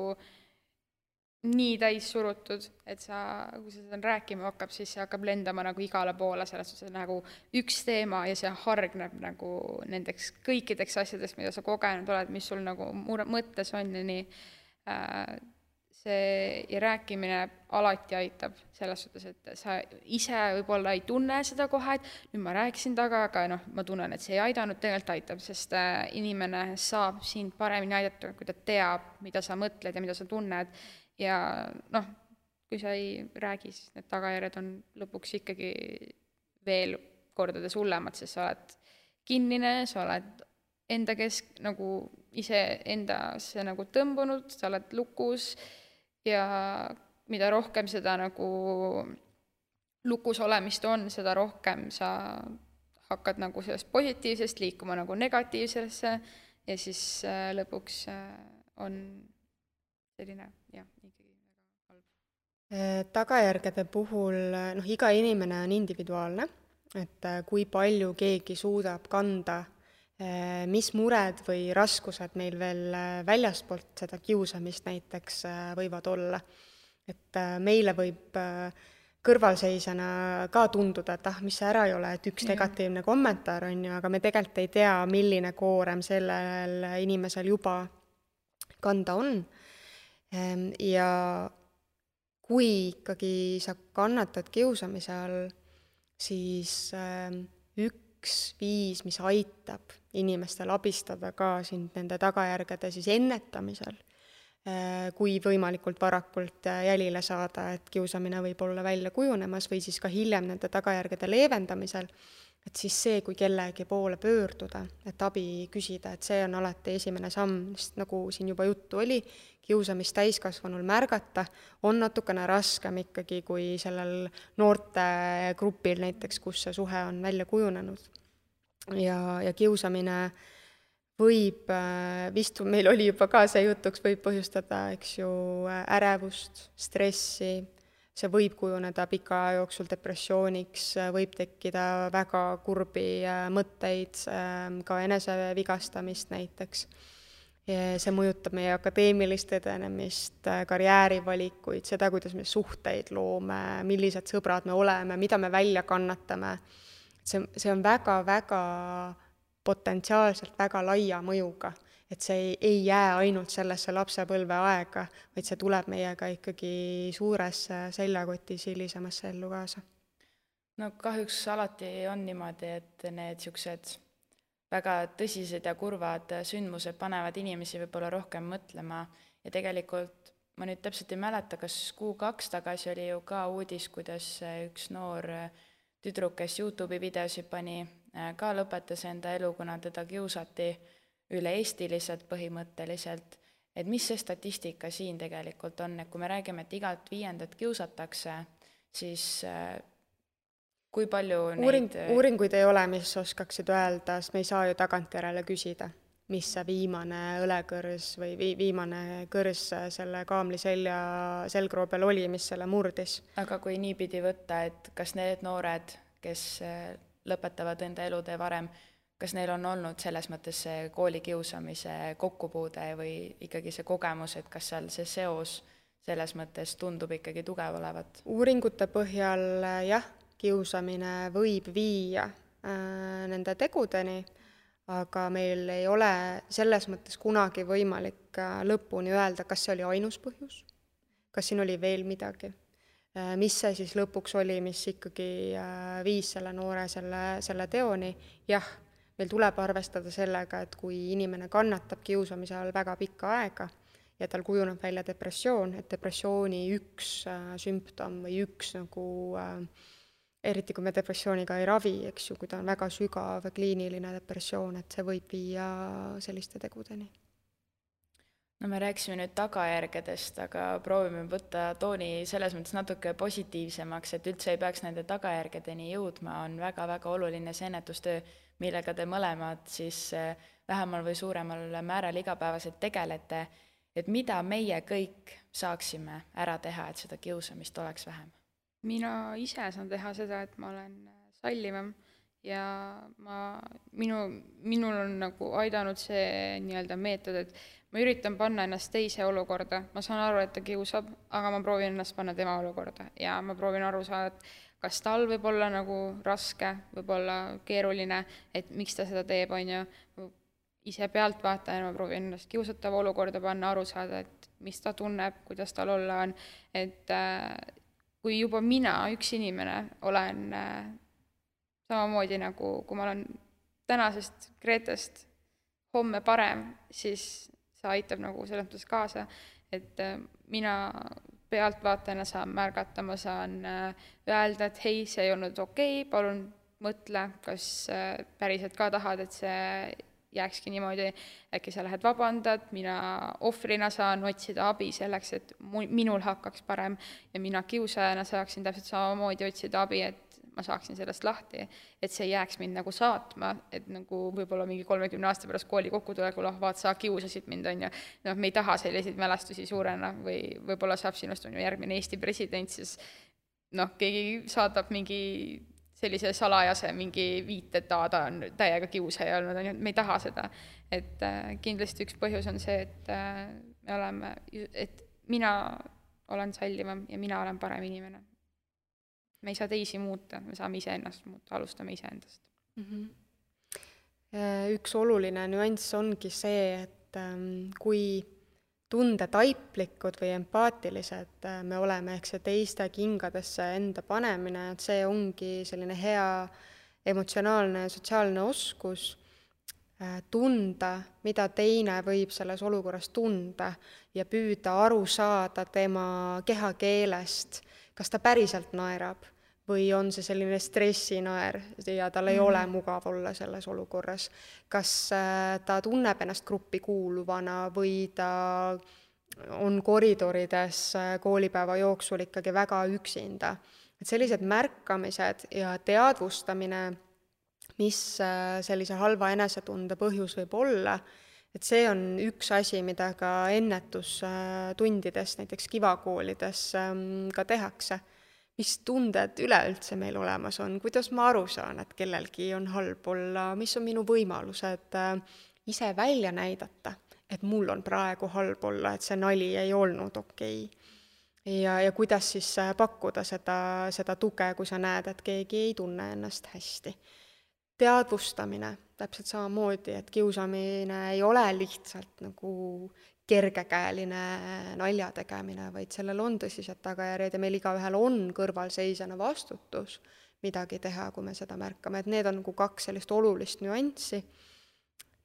nii täis surutud, et sa, kui sa seda rääkima hakkab, siis see hakkab lendama nagu igale poole, selles suhtes nagu üks teema ja see hargneb nagu nendeks kõikideks asjadest, mida sa kogenud oled, mis sul nagu mõttes on ja nii. See ja rääkimine alati aitab selles suhtes, et sa ise võib-olla ei tunne seda kohe, et nüüd ma rääkisin taga, aga noh, ma tunnen, et see ei aidanud, tegelikult aitab, sest inimene saab sind paremini aidata, kui ta teab, mida sa mõtled ja mida sa tunned. Ja noh, kui sa ei räägi, siis need tagajärjed on lõpuks ikkagi veel kordades hullemad, sest sa oled kinnine, sa oled enda nagu ise endasse nagu tõmbunud, sa oled lukus ja mida rohkem seda nagu lukus olemist on, seda rohkem sa hakkad nagu sellest positiivsest liikuma nagu negatiivsesse ja siis lõpuks on selline, jah, ikkagi väga halb. Tagajärgede puhul, noh, iga inimene on individuaalne, et kui palju keegi suudab kanda, mis mured või raskused meil veel väljastpoolt seda kiusamist näiteks võivad olla. Et meile võib kõrvalseisjana ka tunduda, et mis see ära ei ole, et üks negatiivne kommentaar on ju, aga me tegelikult ei tea, milline koorem sellel inimesel juba kanda on. Ja kui ikkagi sa kannatad kiusamise all, siis üks viis, mis aitab inimestel abistada ka sind nende tagajärgede siis ennetamisel, kui võimalikult varakult jälile saada, et kiusamine võib olla välja kujunemas või siis ka hiljem nende tagajärgede leevendamisel, et siis see, kui kellegi poole pöörduda, et abi küsida, et see on alati esimene samm, sest nagu siin juba juttu oli, kiusamist täiskasvanul märgata on natukene raskem ikkagi kui sellel noorte grupil näiteks, kus see suhe on välja kujunenud. Ja kiusamine võib, vist meil oli juba ka see jutuks, võib põhjustada, eks ju, ärevust, stressi, see võib kujuneda pika aja jooksul depressiooniks, võib tekkida väga kurbi mõtteid, ka enesevigastamist näiteks. See mõjutab meie akadeemilist edenemist, karjäärivalikuid, seda, kuidas me suhteid loome, millised sõbrad me oleme, mida me välja kannatame. See on väga-väga potentsiaalselt väga laia mõjuga, et see ei jää ainult sellesse lapsepõlve aega, vaid see tuleb meiega ikkagi suures seljakotis hilisemasse ellu kaasa. No kahjuks alati on niimoodi, et need siuksed väga tõsised ja kurvad sündmused panevad inimesi võib-olla rohkem mõtlema ja tegelikult ma nüüd täpselt ei mäleta, kas 2 tagasi oli ju ka uudis, kuidas üks noor tüdruk, kes YouTube'i videosi pani, ka lõpetas enda elu, kuna teda kiusati üle eestiliselt põhimõtteliselt. Et mis see statistika siin tegelikult on, et kui me räägime, et igat 5. kiusatakse, siis kui palju uuringuid ei ole, mis oskaksid öelda, sest me ei saa ju tagantjärele küsida, mis see viimane õlekõrs või viimane kõrs selle kaamli selgroo peal oli, mis selle murdis. Aga kui niipidi võtta, et kas need noored, kes lõpetavad enda elutee varem, kas neil on olnud selles mõttes see koolikiusamise kokkupuude või ikkagi see kogemus, et kas seal see seos selles mõttes tundub ikkagi tugev olevat? Uuringute põhjal jah, kiusamine võib viia nende tegudeni, aga meil ei ole selles mõttes kunagi võimalik lõpuni öelda, kas see oli ainus põhjus, kas siin oli veel midagi, mis see siis lõpuks oli, mis ikkagi viis selle noore selle teoni. Jah, meil tuleb arvestada sellega, et kui inimene kannatab kiusamise all väga pikka aega ja tal kujuneb välja depressioon, et depressiooni üks sümptom või üks nagu eriti kui me depressiooniga ei ravi, eks ju, kui ta on väga sügav kliiniline depressioon, et see võib viia selliste tegudeni. No me rääkisime nüüd tagajärgedest, aga proovime võtta tooni selles mõttes natuke positiivsemaks, et üldse ei peaks nende tagajärgedeni jõudma, on väga-väga oluline see ennetustöö, millega te mõlemad siis vähemal või suuremal määral igapäevaselt tegelete, et mida meie kõik saaksime ära teha, et seda kiusamist oleks vähem? Mina ise saan teha seda, et ma olen sallivam ja minul on nagu aidanud see nii-öelda meetod, et ma üritan panna ennast teise olukorda, ma saan aru, et ta kiusab, aga ma proovin ennast panna tema olukorda ja ma proovin aru saada, et kas tal võib olla nagu raske, võib olla keeruline, et miks ta seda teeb, on ju, ise pealtvaatajana ma proovin ennast kiusatava olukorda panna, aru saada, et mis ta tunneb, kuidas tal olla on, et kui juba mina, üks inimene, olen samamoodi nagu, kui ma olen tänasest Gretest homme parem, siis see aitab nagu selles mõttes kaasa, et mina pealtvaatajana saan märgata, ma saan öelda, et hei, see ei olnud okei, palun mõtle, kas päriselt ka tahad, et see jääkski niimoodi, äkki sa lähed vabandad, mina ohvrina saan otsida abi selleks, et minul hakkaks parem ja mina kiusajana saaksin täpselt samamoodi otsida abi, et ma saaksin sellest lahti, et see jääks mind nagu saatma, et nagu võib-olla mingi 30 aasta pärast kooli kokkutulekul, vaat sa kiusasid mind, on ju, noh, me ei taha selliseid mälestusi suurena või võib-olla saab sinust on ju järgmine Eesti president, siis noh, keegi saadab mingi sellise salajase mingi viite, et ta on täiega kiusaja olnud, on ju, me ei taha seda. Et kindlasti üks põhjus on see, et mina olen sallivam ja mina olen parem inimene. Me ei saa teisi muuta, me saame ise ennast muuta, alustame ise endast. Üks oluline nüanss ongi see, et kui tundetaiplikud või empaatilised me oleme, ehk see teiste kingadesse enda panemine, et see ongi selline hea emotsionaalne ja sotsiaalne oskus tunda, mida teine võib selles olukorras tunda ja püüda aru saada tema kehakeelest, kas ta päriselt naerab või on see selline stressinaer ja tal ei ole mugav olla selles olukorras. Kas ta tunneb ennast gruppi kuuluvana või ta on koridorides koolipäeva jooksul ikkagi väga üksinda. Et sellised märkamised ja teadvustamine, mis sellise halva enesetunde põhjus võib olla, et see on üks asi, mida ka ennetustundides, näiteks kivakoolides ka tehakse. Mis tunded üleüldse meil olemas on, kuidas ma aru saan, et kellelgi on halb olla, mis on minu võimalused ise välja näidata, et mul on praegu halb olla, et see nali ei olnud okei. Ja kuidas siis pakkuda seda tuge, kui sa näed, et keegi ei tunne ennast hästi. Teadvustamine, täpselt samamoodi, et kiusamine ei ole lihtsalt nagu kergekäeline nalja tegemine, vaid sellel on tõsised tagajärjed ja meil igaühel on kõrvalseisjana vastutus midagi teha, kui me seda märkame. Et need on nagu kaks sellist olulist nüanssi,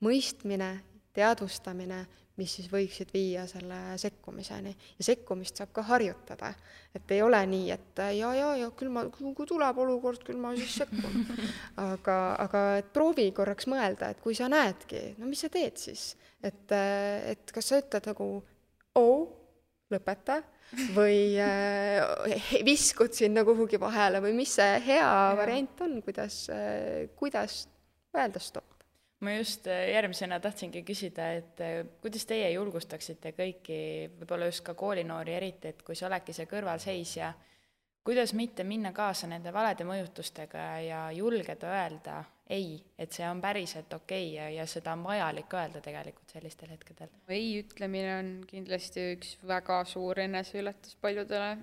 mõistmine, teadvustamine, mis siis võiksid viia selle sekkumiseni. Ja sekkumist saab ka harjutada. Et ei ole nii, et ja küll ma, kui tuleb olukord, küll ma siis sekkun. Aga et proovi korraks mõelda, et kui sa näedki, no mis sa teed siis? Et kas sa ütled nagu lõpeta või viskud sinna kuhugi vahele või mis see hea variant on, kuidas öelda stopp? Ma just järgmisena tahtsingi küsida, et kuidas teie julgustaksite kõiki, võib-olla just ka koolinoori eriti, et kui sa oledki see kõrvalseisja, kuidas mitte minna kaasa nende valede mõjutustega ja julgeda öelda ei, et see on päriselt okei ja seda on vajalik öelda tegelikult sellistel hetkedel? Ei ütlemine on kindlasti üks väga suur eneseületus paljudele.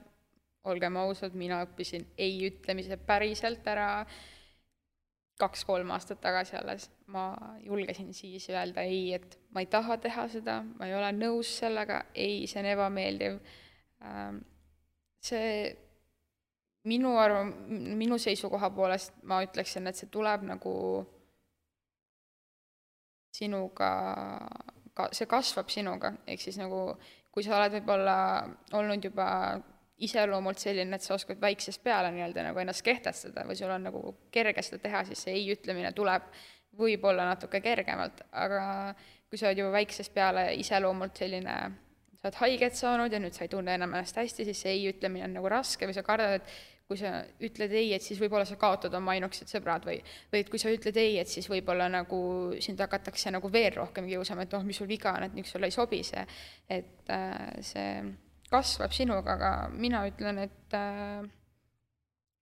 Olgem ausad, mina õppisin ei ütlemise päriselt ära 2-3 aastat tagasi alles. Ma julgesin siis öelda ei, et ma ei taha teha seda, ma ei ole nõus sellega, ei, see on ebameeldiv. See minu seisukoha poolest ma ütleksin, et see tuleb nagu sinuga, see kasvab sinuga, ehk siis nagu kui sa oled võib-olla olnud juba iseloomult selline, et sa oskad väiksest peale nii-öelda nagu ennast kehtestada või sul on nagu kerge seda teha, siis see ei ütlemine tuleb võib-olla natuke kergemalt, aga kui sa oled juba väiksest peale iseloomult selline, sa oled haiget saanud ja nüüd sa ei tunne enam ennast hästi, siis see ei ütlemine on nagu raske või sa kardad, et kui sa ütled ei, et siis võib-olla sa kaotad oma ainukesed sõbrad või et kui sa ütled ei, et siis võib-olla nagu sind hakatakse nagu veel rohkem kiusama, et mis sul viga on, et miks sulle ei sobi see, et see kasvab sinuga, aga mina ütlen, et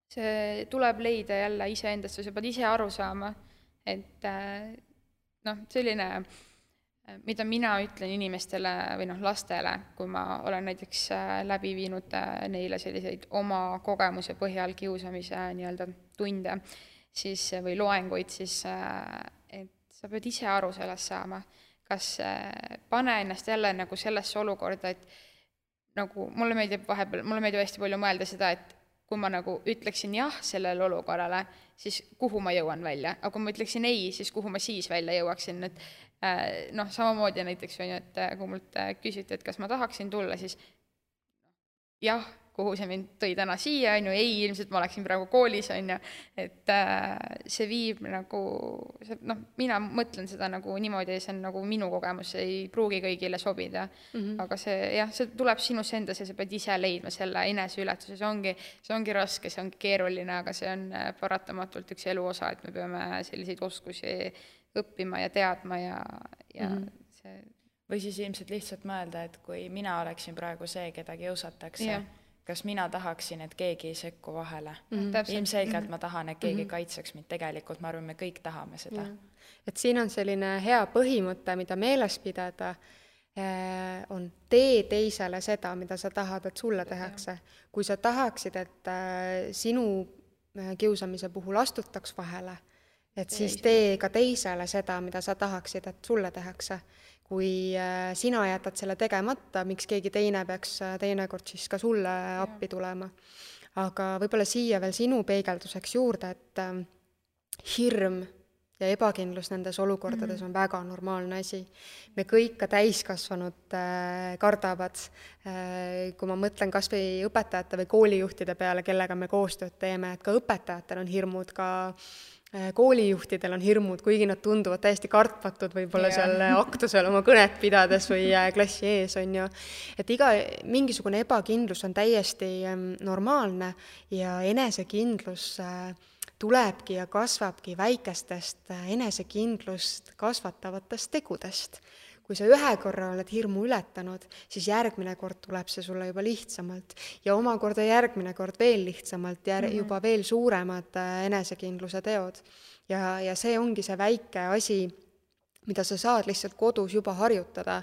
see tuleb leida jälle iseendast või sa pead ise aru saama, et selline, mida mina ütlen inimestele või lastele, kui ma olen näiteks läbi viinud neile selliseid oma kogemuse põhjal kiusamise nii-öelda tunde siis, või loenguid, siis et sa pead ise aru sellest saama, kas pane ennast jälle nagu sellesse olukorda, et nagu mulle meeldib hästi palju mõelda seda, et kui ma nagu ütleksin jah sellele olukorrale, siis kuhu ma jõuan välja, aga kui ma ütleksin ei, siis kuhu ma siis välja jõuaksin, et samamoodi näiteks on ju, et kui mult küsiti, et kas ma tahaksin tulla, siis jah, kuhu see mind tõi täna siia, on ju, ei, ilmselt ma oleksin praegu koolis, on ju, et see viib nagu, mina mõtlen seda nagu niimoodi, see on nagu minu kogemus, see ei pruugi kõigile sobida, aga see tuleb sinus endas ja sa pead ise leidma selle eneseületuse, see ongi raske, see ongi keeruline, aga see on paratamatult üks elu osa, et me peame selliseid oskusi õppima ja teadma ja see... Või siis ilmselt lihtsalt mõelda, et kui mina oleksin praegu see, keda kiusatakse, kas mina tahaksin, et keegi ei sekku vahele. Ilmselgelt ma tahan, et keegi kaitseks mind. Tegelikult ma arvan, me kõik tahame seda. Et siin on selline hea põhimõte, mida meeles pidada, on tee teisele seda, mida sa tahad, et sulle tehakse. Kui sa tahaksid, et sinu kiusamise puhul astutaks vahele, et siis tee ka teisele seda, mida sa tahaksid, et sulle tehakse. Kui sina jätad selle tegemata, miks keegi teine peaks teinekord siis ka sulle appi tulema. Aga võib-olla siia veel sinu peegelduseks juurde, et hirm ja ebakindlus nendes olukordades on väga normaalne asi. Me kõik ka täiskasvanud kardavad, kui ma mõtlen kas või õpetajate või koolijuhtide peale, kellega me koostööd teeme, et ka õpetajatel on hirmud, ka koolijuhtidel on hirmud, kuigi nad tunduvad täiesti kartmatud võib-olla seal aktusel oma kõnet pidades või klassi ees on ju. Et mingisugune ebakindlus on täiesti normaalne ja enesekindlus tulebki ja kasvabki väikestest enesekindlust kasvatavatest tegudest. Kui sa ühe korra oled hirmu ületanud, siis järgmine kord tuleb see sulle juba lihtsamalt ja omakorda järgmine kord veel lihtsamalt, juba veel suuremad enesekindluse teod. Ja see ongi see väike asi, mida sa saad lihtsalt kodus juba harjutada.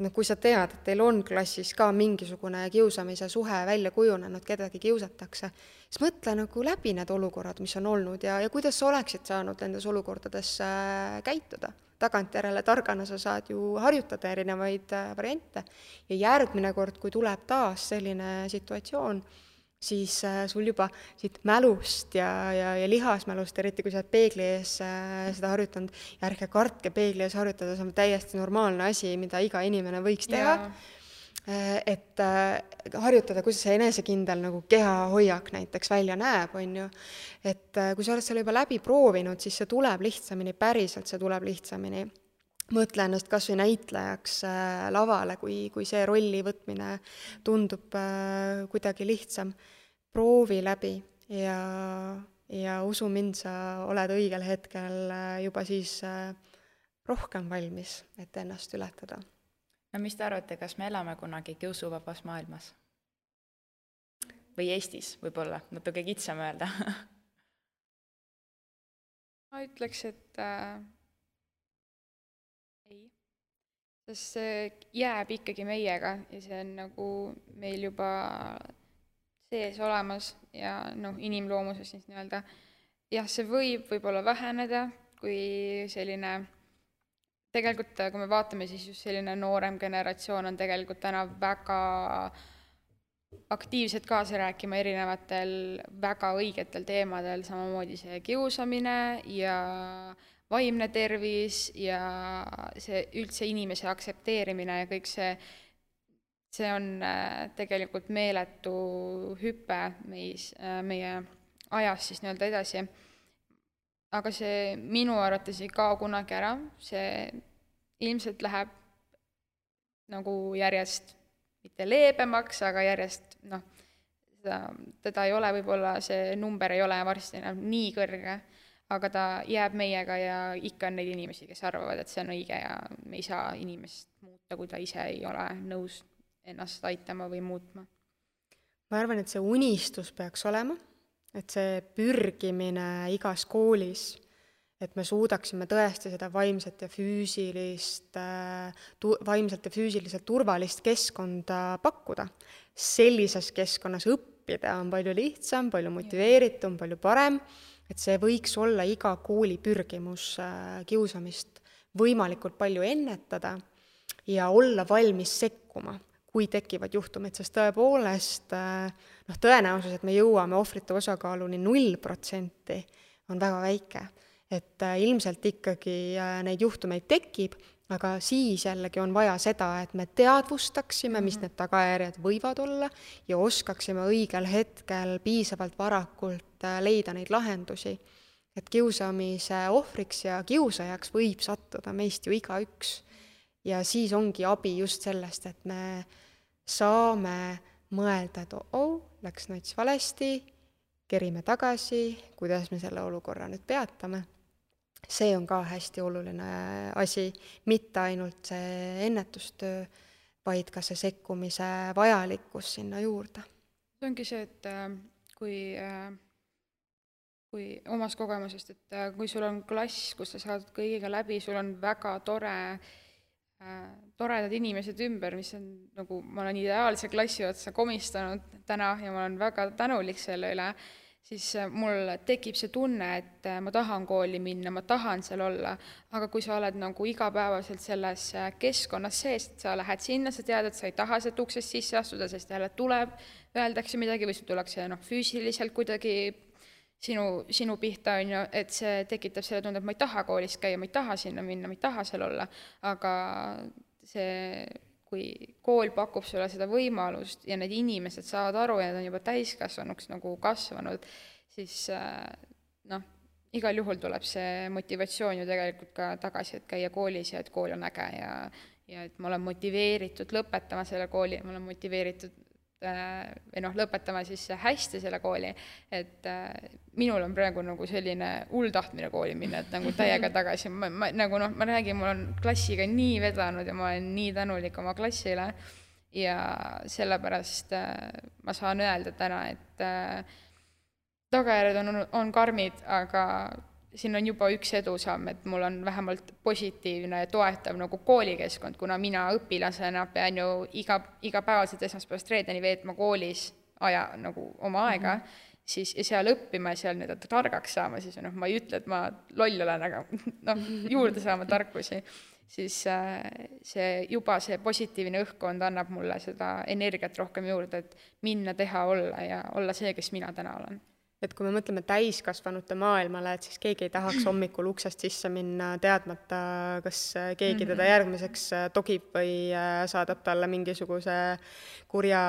Kui sa tead, et teil on klassis ka mingisugune kiusamise suhe välja kujunenud, kedagi kiusatakse, siis mõtle nagu läbi need olukorrad, mis on olnud ja kuidas sa oleksid saanud nendes olukordades käituda. Tagantjärele targana sa saad ju harjutada erinevaid variante ja järgmine kord, kui tuleb taas selline situatsioon, siis sul juba siit mälust ja lihasmälust, eriti kui sa oled peegli ees seda harjutanud, ja ärge kartke peegli ees harjutada, see on täiesti normaalne asi, mida iga inimene võiks teha. Et harjutada, kuidas see enesekindel nagu kehahoiak näiteks välja näeb, on ju. Et kui sa oled selle juba läbi proovinud, siis see tuleb lihtsamini, päriselt see tuleb lihtsamini. Mõtle ennast kas või näitlejaks lavale, kui see rolli võtmine tundub kuidagi lihtsam. Proovi läbi ja usu mind, sa oled õigel hetkel juba siis rohkem valmis, et ennast ületada. No mis te arvate, kas me elame kunagi kiusuvabas maailmas? Või Eestis võib-olla, natuke kitsam öelda? Ma ütleks, et ei. Sest see jääb ikkagi meiega ja see on nagu meil juba sees olemas ja inimloomuses siis nii-öelda. Jah, see võib-olla väheneda, kui selline... Tegelikult, kui me vaatame, siis just selline noorem generatsioon on tegelikult täna väga aktiivselt kaasa rääkima erinevatel väga õigetel teemadel, samamoodi see kiusamine ja vaimne tervis ja see üldse inimese aktsepteerimine ja kõik see on tegelikult meeletu hüpe meie ajas siis nii-öelda edasi. aga see minu arvates ei kao kunagi ära, see ilmselt läheb nagu järjest mitte leebemaks, aga järjest, teda ei ole, võib-olla see number ei ole varsti enam nii kõrge, aga ta jääb meiega ja ikka on neid inimesi, kes arvavad, et see on õige ja me ei saa inimest muuta, kui ta ise ei ole nõus ennast aitama või muutma. Ma arvan, et see unistus peaks olema, et see pürgimine igas koolis, et me suudaksime tõesti seda vaimselt ja füüsiliselt turvalist keskkonda pakkuda. Sellises keskkonnas õppida on palju lihtsam, palju motiveeritum, palju parem, et see võiks olla iga kooli pürgimus kiusamist võimalikult palju ennetada ja olla valmis sekkuma, kui tekivad juhtumid, sest tõepoolest tõenäosus, et me jõuame ohvrite osakaaluni 0% on väga väike. Et ilmselt ikkagi neid juhtumeid tekib, aga siis jällegi on vaja seda, et me teadvustaksime, mis need tagajärjed võivad olla ja oskaksime õigel hetkel piisavalt varakult leida neid lahendusi. Et kiusamise ohvriks ja kiusajaks võib sattuda meist ju igaüks. Ja siis ongi abi just sellest, et me saame mõelda, et läks nats valesti, kerime tagasi, kuidas me selle olukorra nüüd peatame. See on ka hästi oluline asi, mitte ainult see ennetustöö, vaid ka see sekkumise vajalikkus sinna juurde. See ongi see, et kui omast kogemusest, et kui sul on klass, kus sa saad kõigiga läbi, sul on väga toredad inimesed ümber, mis on nagu, ma olen ideaalse klassi otsa komistanud täna ja ma olen väga tänulik selle üle, siis mul tekib see tunne, et ma tahan kooli minna, ma tahan seal olla, aga kui sa oled nagu igapäevaselt selles keskkonnas sees, et sa lähed sinna, sa tead, et sa ei taha sealt uksest sisse astuda, sest jälle tuleb, öeldakse midagi või sul tullakse füüsiliselt kuidagi sinu pihta, et see tekitab selle tunde, et ma ei taha koolis käia, ma ei taha sinna minna, ma ei taha seal olla, aga see, kui kool pakub sulle seda võimalust ja need inimesed saavad aru ja nad on juba täiskasvanuks nagu kasvanud, siis igal juhul tuleb see motivatsioon ju tegelikult ka tagasi, et käia koolis ja et kool on äge ja et ma olen motiveeritud lõpetama selle kooli, ma olen motiveeritud lõpetama siis hästi selle kooli, et minul on praegu nagu selline tahtmine kooli minna, et nagu täiega tagasi, ma räägin, mul on klassiga nii vedanud ja ma olen nii tänulik oma klassile ja sellepärast ma saan öelda täna, et tagajärjed on karmid, aga siin on juba üks edusamm, et mul on vähemalt positiivne ja toetav nagu koolikeskkond, kuna mina õpilasena pean ju igapäevaselt esmaspäevast reedeni veetma koolis nagu oma aega, siis ja seal õppima ja seal targaks saama, siis ma ei ütle, et ma loll olen, aga juurde saama tarkusi, siis see positiivne õhkkond annab mulle seda energiat rohkem juurde, et minna, teha, olla ja olla see, kes mina täna olen. Et kui me mõtleme täiskasvanute maailmale, et siis keegi ei tahaks hommikul uksest sisse minna teadmata, kas keegi teda järgmiseks togib või saadab talle mingisuguse kurja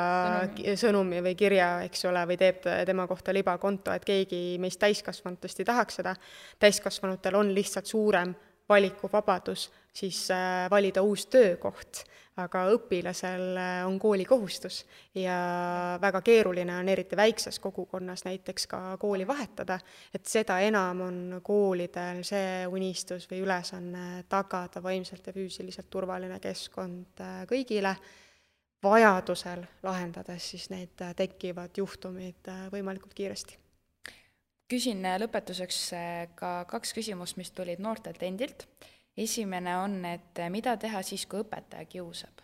sõnumi või kirja, eks ole, või teeb tema kohta libakonto, et keegi meist täiskasvanutest ei tahaks seda. Täiskasvanutel on lihtsalt suurem valikuvabadus siis valida uus töökoht, aga õpilasel on koolikohustus ja väga keeruline on eriti väikses kogukonnas näiteks ka kooli vahetada, et seda enam on koolidel see unistus või ülesanne tagada vaimselt ja füüsiliselt turvaline keskkond kõigile, vajadusel lahendades siis need tekkivad juhtumid võimalikult kiiresti. Küsin lõpetuseks ka 2 küsimust, mis tulid noortelt endilt. Esimene on, et mida teha siis, kui õpetaja kiusab?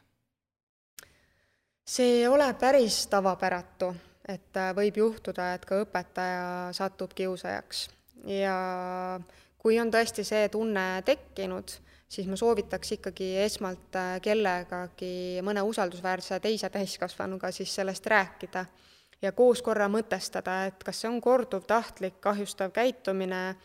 See ei ole päris tavapäratu, et võib juhtuda, et ka õpetaja satub kiusajaks. Ja kui on tõesti see tunne tekkinud, siis ma soovitaks ikkagi esmalt kellegagi mõne usaldusväärse teise täiskasvanuga siis sellest rääkida ja koos korra mõtestada, et kas see on korduv tahtlik kahjustav käitumine,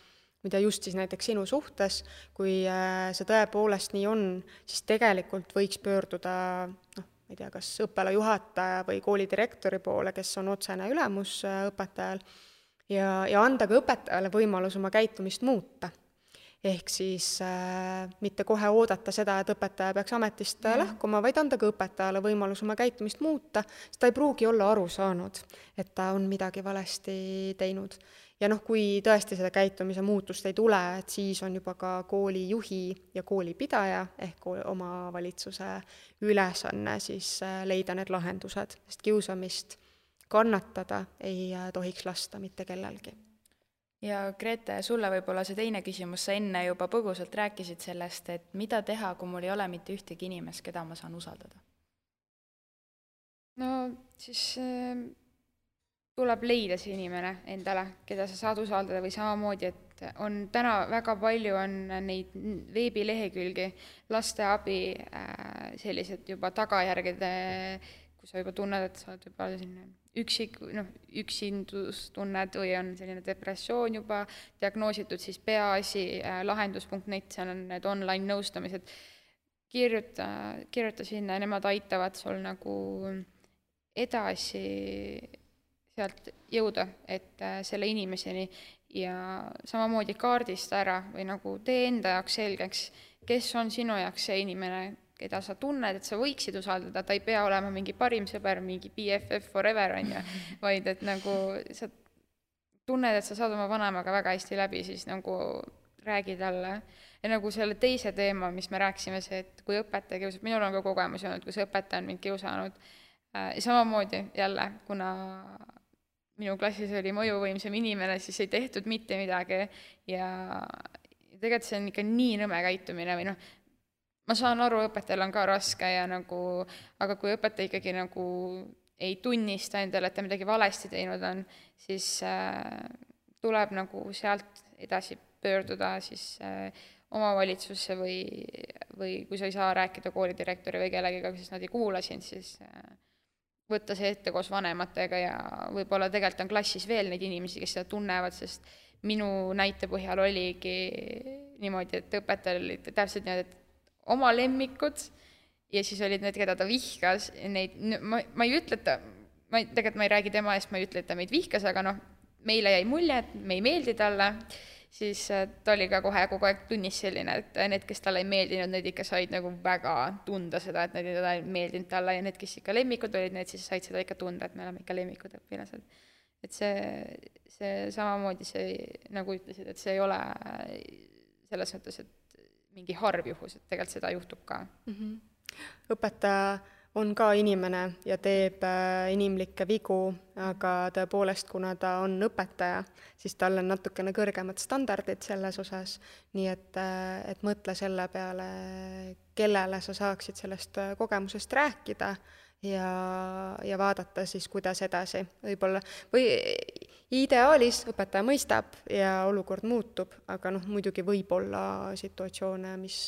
mida just siis näiteks sinu suhtes, kui see tõepoolest nii on, siis tegelikult võiks pöörduda, ma ei tea, kas õppealajuhataja või koolidirektori poole, kes on otsene ülemus õpetajal, ja anda ka õpetajale võimalus oma käitumist muuta. Ehk siis mitte kohe oodata seda, et õpetaja peaks ametist lahkuma, vaid anda ka õpetajale võimalus oma käitumist muuta, sest ta ei pruugi olla aru saanud, et ta on midagi valesti teinud. Ja kui tõesti seda käitumise muutust ei tule, et siis on juba ka koolijuhi ja koolipidaja ehk omavalitsuse ülesanne siis leida need lahendused, sest kiusamist kannatada ei tohiks lasta mitte kellelgi. Ja Grete, sulle võib-olla see teine küsimus, sa enne juba põgusalt rääkisid sellest, et mida teha, kui mul ei ole mitte ühtegi inimest, keda ma saan usaldada? No siis tuleb leida see inimene endale, keda sa saad usaldada või samamoodi, et on täna väga palju on neid veebilehekülgi, lasteabi, sellised juba tagajärgede, kui sa juba tunned, et sa oled juba selline üksindus tunned või on selline depressioon juba diagnoositud, siis peaasi lahendus.net, seal on need online nõustamised. Kirjuta sinna ja nemad aitavad sul nagu edasi sealt jõuda, et selle inimeseni ja samamoodi kaardista ära või nagu tee enda jaoks selgeks, kes on sinu jaoks see inimene, keda sa tunned, et sa võiksid usaldada, ta ei pea olema mingi parim sõber, mingi BFF forever on ju, vaid et nagu sa tunned, et sa saad oma vanemaga väga hästi läbi, siis nagu räägi talle. Ja nagu selle teise teema, mis me rääkisime, see, et kui õpetaja kiusab, minul on ka kogemus olnud, kus õpetaja on mind kiusanud, samamoodi jälle, kuna minu klassis oli mõjuvõimsam inimene, siis ei tehtud mitte midagi ja tegelikult see on ikka nii nõme käitumine või ma saan aru, õpetajal on ka raske ja nagu, aga kui õpetaja ikkagi nagu ei tunnista endale, et ta midagi valesti teinud on, siis tuleb nagu sealt edasi pöörduda siis omavalitsusse või kui sa ei saa rääkida koolidirektori või kellegiga, siis nad ei kuula sind, siis võtta see ette koos vanematega ja võib-olla tegelikult on klassis veel neid inimesi, kes seda tunnevad, sest minu näite põhjal oligi niimoodi, et õpetajal oli täpselt niimoodi, et oma lemmikud ja siis olid need, keda ta vihkas, neid, ma ei ütle, et tegelikult ma ei räägi tema eest, ma ei ütle, et ta meid vihkas, aga meile jäi mulje, et me ei meeldi talle, siis ta oli ka kogu aeg tunnis selline, et need, kes talle ei meeldinud, need ikka said nagu väga tunda seda, et need ei meeldinud talle ja need, kes ikka lemmikud olid, need siis said seda ikka tunda, et me oleme ikka lemmikud õpilased. Et see samamoodi see, nagu ütlesid, et see ei ole selles mõttes, et mingi harv juhus, et tegelikult seda juhtub ka. Õpetaja on ka inimene ja teeb inimlikke vigu, aga tõepoolest, kuna ta on õpetaja, siis tal on natukene kõrgemad standardid selles osas, nii et mõtle selle peale, kellele sa saaksid sellest kogemusest rääkida ja vaadata siis, kuidas edasi. Võib-olla, või ideaalis õpetaja mõistab ja olukord muutub, aga muidugi võib olla situatsioone, mis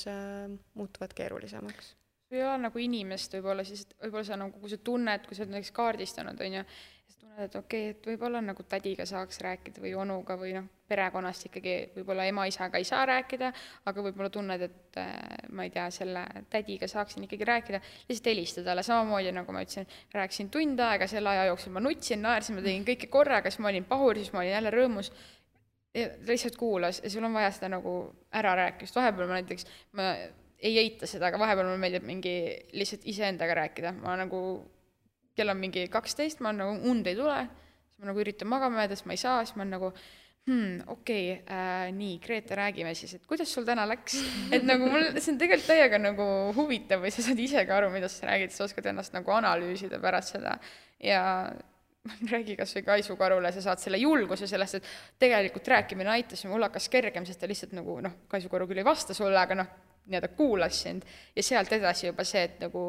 muutuvad keerulisemaks. Kui ei ole nagu inimest võib-olla, siis võib-olla sa nagu, kui sa tunned, kui sa oled näiteks kaardistanud, on ju, siis tunned, et okei, et võib-olla nagu tädiga saaks rääkida või onuga või perekonnast ikkagi võib-olla ema-isaga ei saa rääkida, aga võib-olla tunned, et ma ei tea, selle tädiga saaksin ikkagi rääkida, lihtsalt helistada talle, samamoodi nagu ma ütlesin, rääkisin tund aega, selle aja jooksul ma nutsin, naersin, ma tegin kõike korraga, siis ma olin pahur, siis ma olin jälle rõõmus, ja lihtsalt kuulas ja sul on vaja seda nagu ära rääkida, vahepeal ma näiteks, ei eita seda, aga vahepeal mulle meeldib mingi lihtsalt iseendaga rääkida. Ma nagu, kell on mingi 12, ma nagu und ei tule, siis ma nagu üritan magama jääda, siis ma ei saa, siis ma nagu, okei, nii, Grete, räägime siis, et kuidas sul täna läks? Et nagu mul, see on tegelikult täiega nagu huvitav või sa saad ise ka aru, mida sa räägid, sa oskad ennast nagu analüüsida pärast seda ja räägi kas või Kaisukarule, sa saad selle julguse sellest, et tegelikult rääkimine aitas ja mul hakkas kergem, sest ta lihtsalt nagu, Kaisukaru küll ei vasta sulle, aga nii-öelda kuulas sind ja sealt edasi juba see, et nagu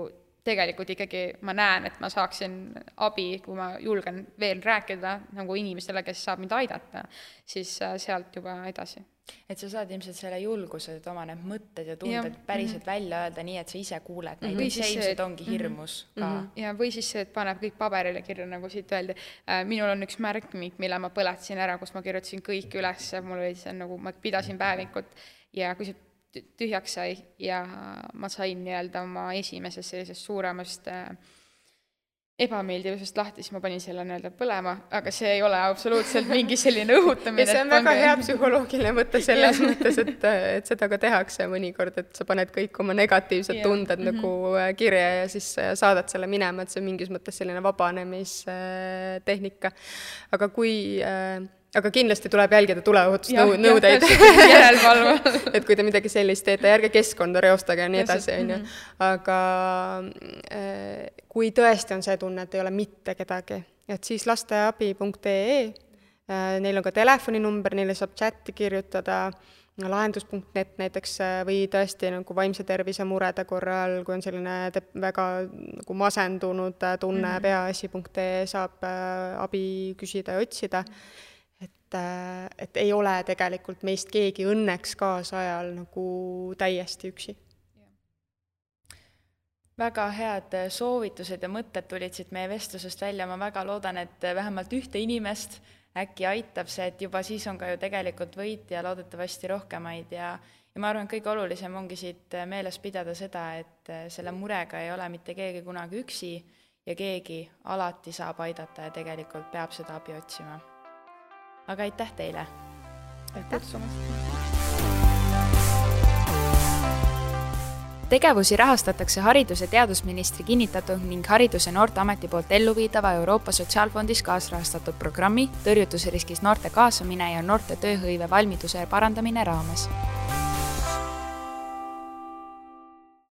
tegelikult ikkagi ma näen, et ma saaksin abi, kui ma julgen veel rääkida nagu inimestele, kes saab mind aidata, siis sealt juba edasi. Et sa saad ilmselt selle julguse, et oma need mõtted ja tunded päriselt välja öelda nii, et sa ise kuuled neid, või see ilmselt ongi hirmus ka. Ja või siis see, et paneb kõik paberile kirja, nagu siit öeldi. Minul on üks märkmik, mille ma põletasin ära, kus ma kirjutasin kõik üles, mul oli see nagu, ma pidasin päevikut ja kui see tühjaks sai ja ma sain nii-öelda oma esimesest sellisest suuremast ebameeldivusest lahti, siis ma panin selle nii-öelda põlema, aga see ei ole absoluutselt mingi selline õhutamine. Ja see on väga hea psühholoogiline mõte selles mõttes, et seda ka tehakse mõnikord, et sa paned kõik oma negatiivsed tunded nagu kirja ja siis saadad selle minema, et see on mingis mõttes selline vabanemistehnika. Aga kindlasti tuleb jälgida tuleohutusnõudeid. Et kui te midagi sellist teete, järge keskkonda reostage ja nii edasi. Aga kui tõesti on see tunne, et ei ole mitte kedagi, et siis lasteabi.ee, neil on ka telefoninumber, neile saab chati kirjutada, lahendus.net näiteks või tõesti nagu vaimse tervise murede korral, kui on selline väga nagu masendunud tunne, peaasi.ee saab abi küsida ja otsida. Et ei ole tegelikult meist keegi õnneks kaasajal nagu täiesti üksi. Väga head soovitused ja mõtted tulid siit meie vestlusest välja. Ma väga loodan, et vähemalt ühte inimest äkki aitab see, et juba siis on ka ju tegelikult võit ja loodetavasti rohkemaid. Ja ma arvan, et kõige olulisem ongi siit meeles pidada seda, et selle murega ei ole mitte keegi kunagi üksi ja keegi alati saab aidata ja tegelikult peab seda abi otsima. Aga aitäh teile! Aitäh kutsumast! Tegevusi rahastatakse Haridus- ja teadusministri kinnitatud ning Haridus- ja Noorteameti poolt elluviidava Euroopa Sotsiaalfondis kaasrahastatud programmi tõrjutusriskis noorte kaasamine ja noorte tööhõive valmiduse parandamine raames.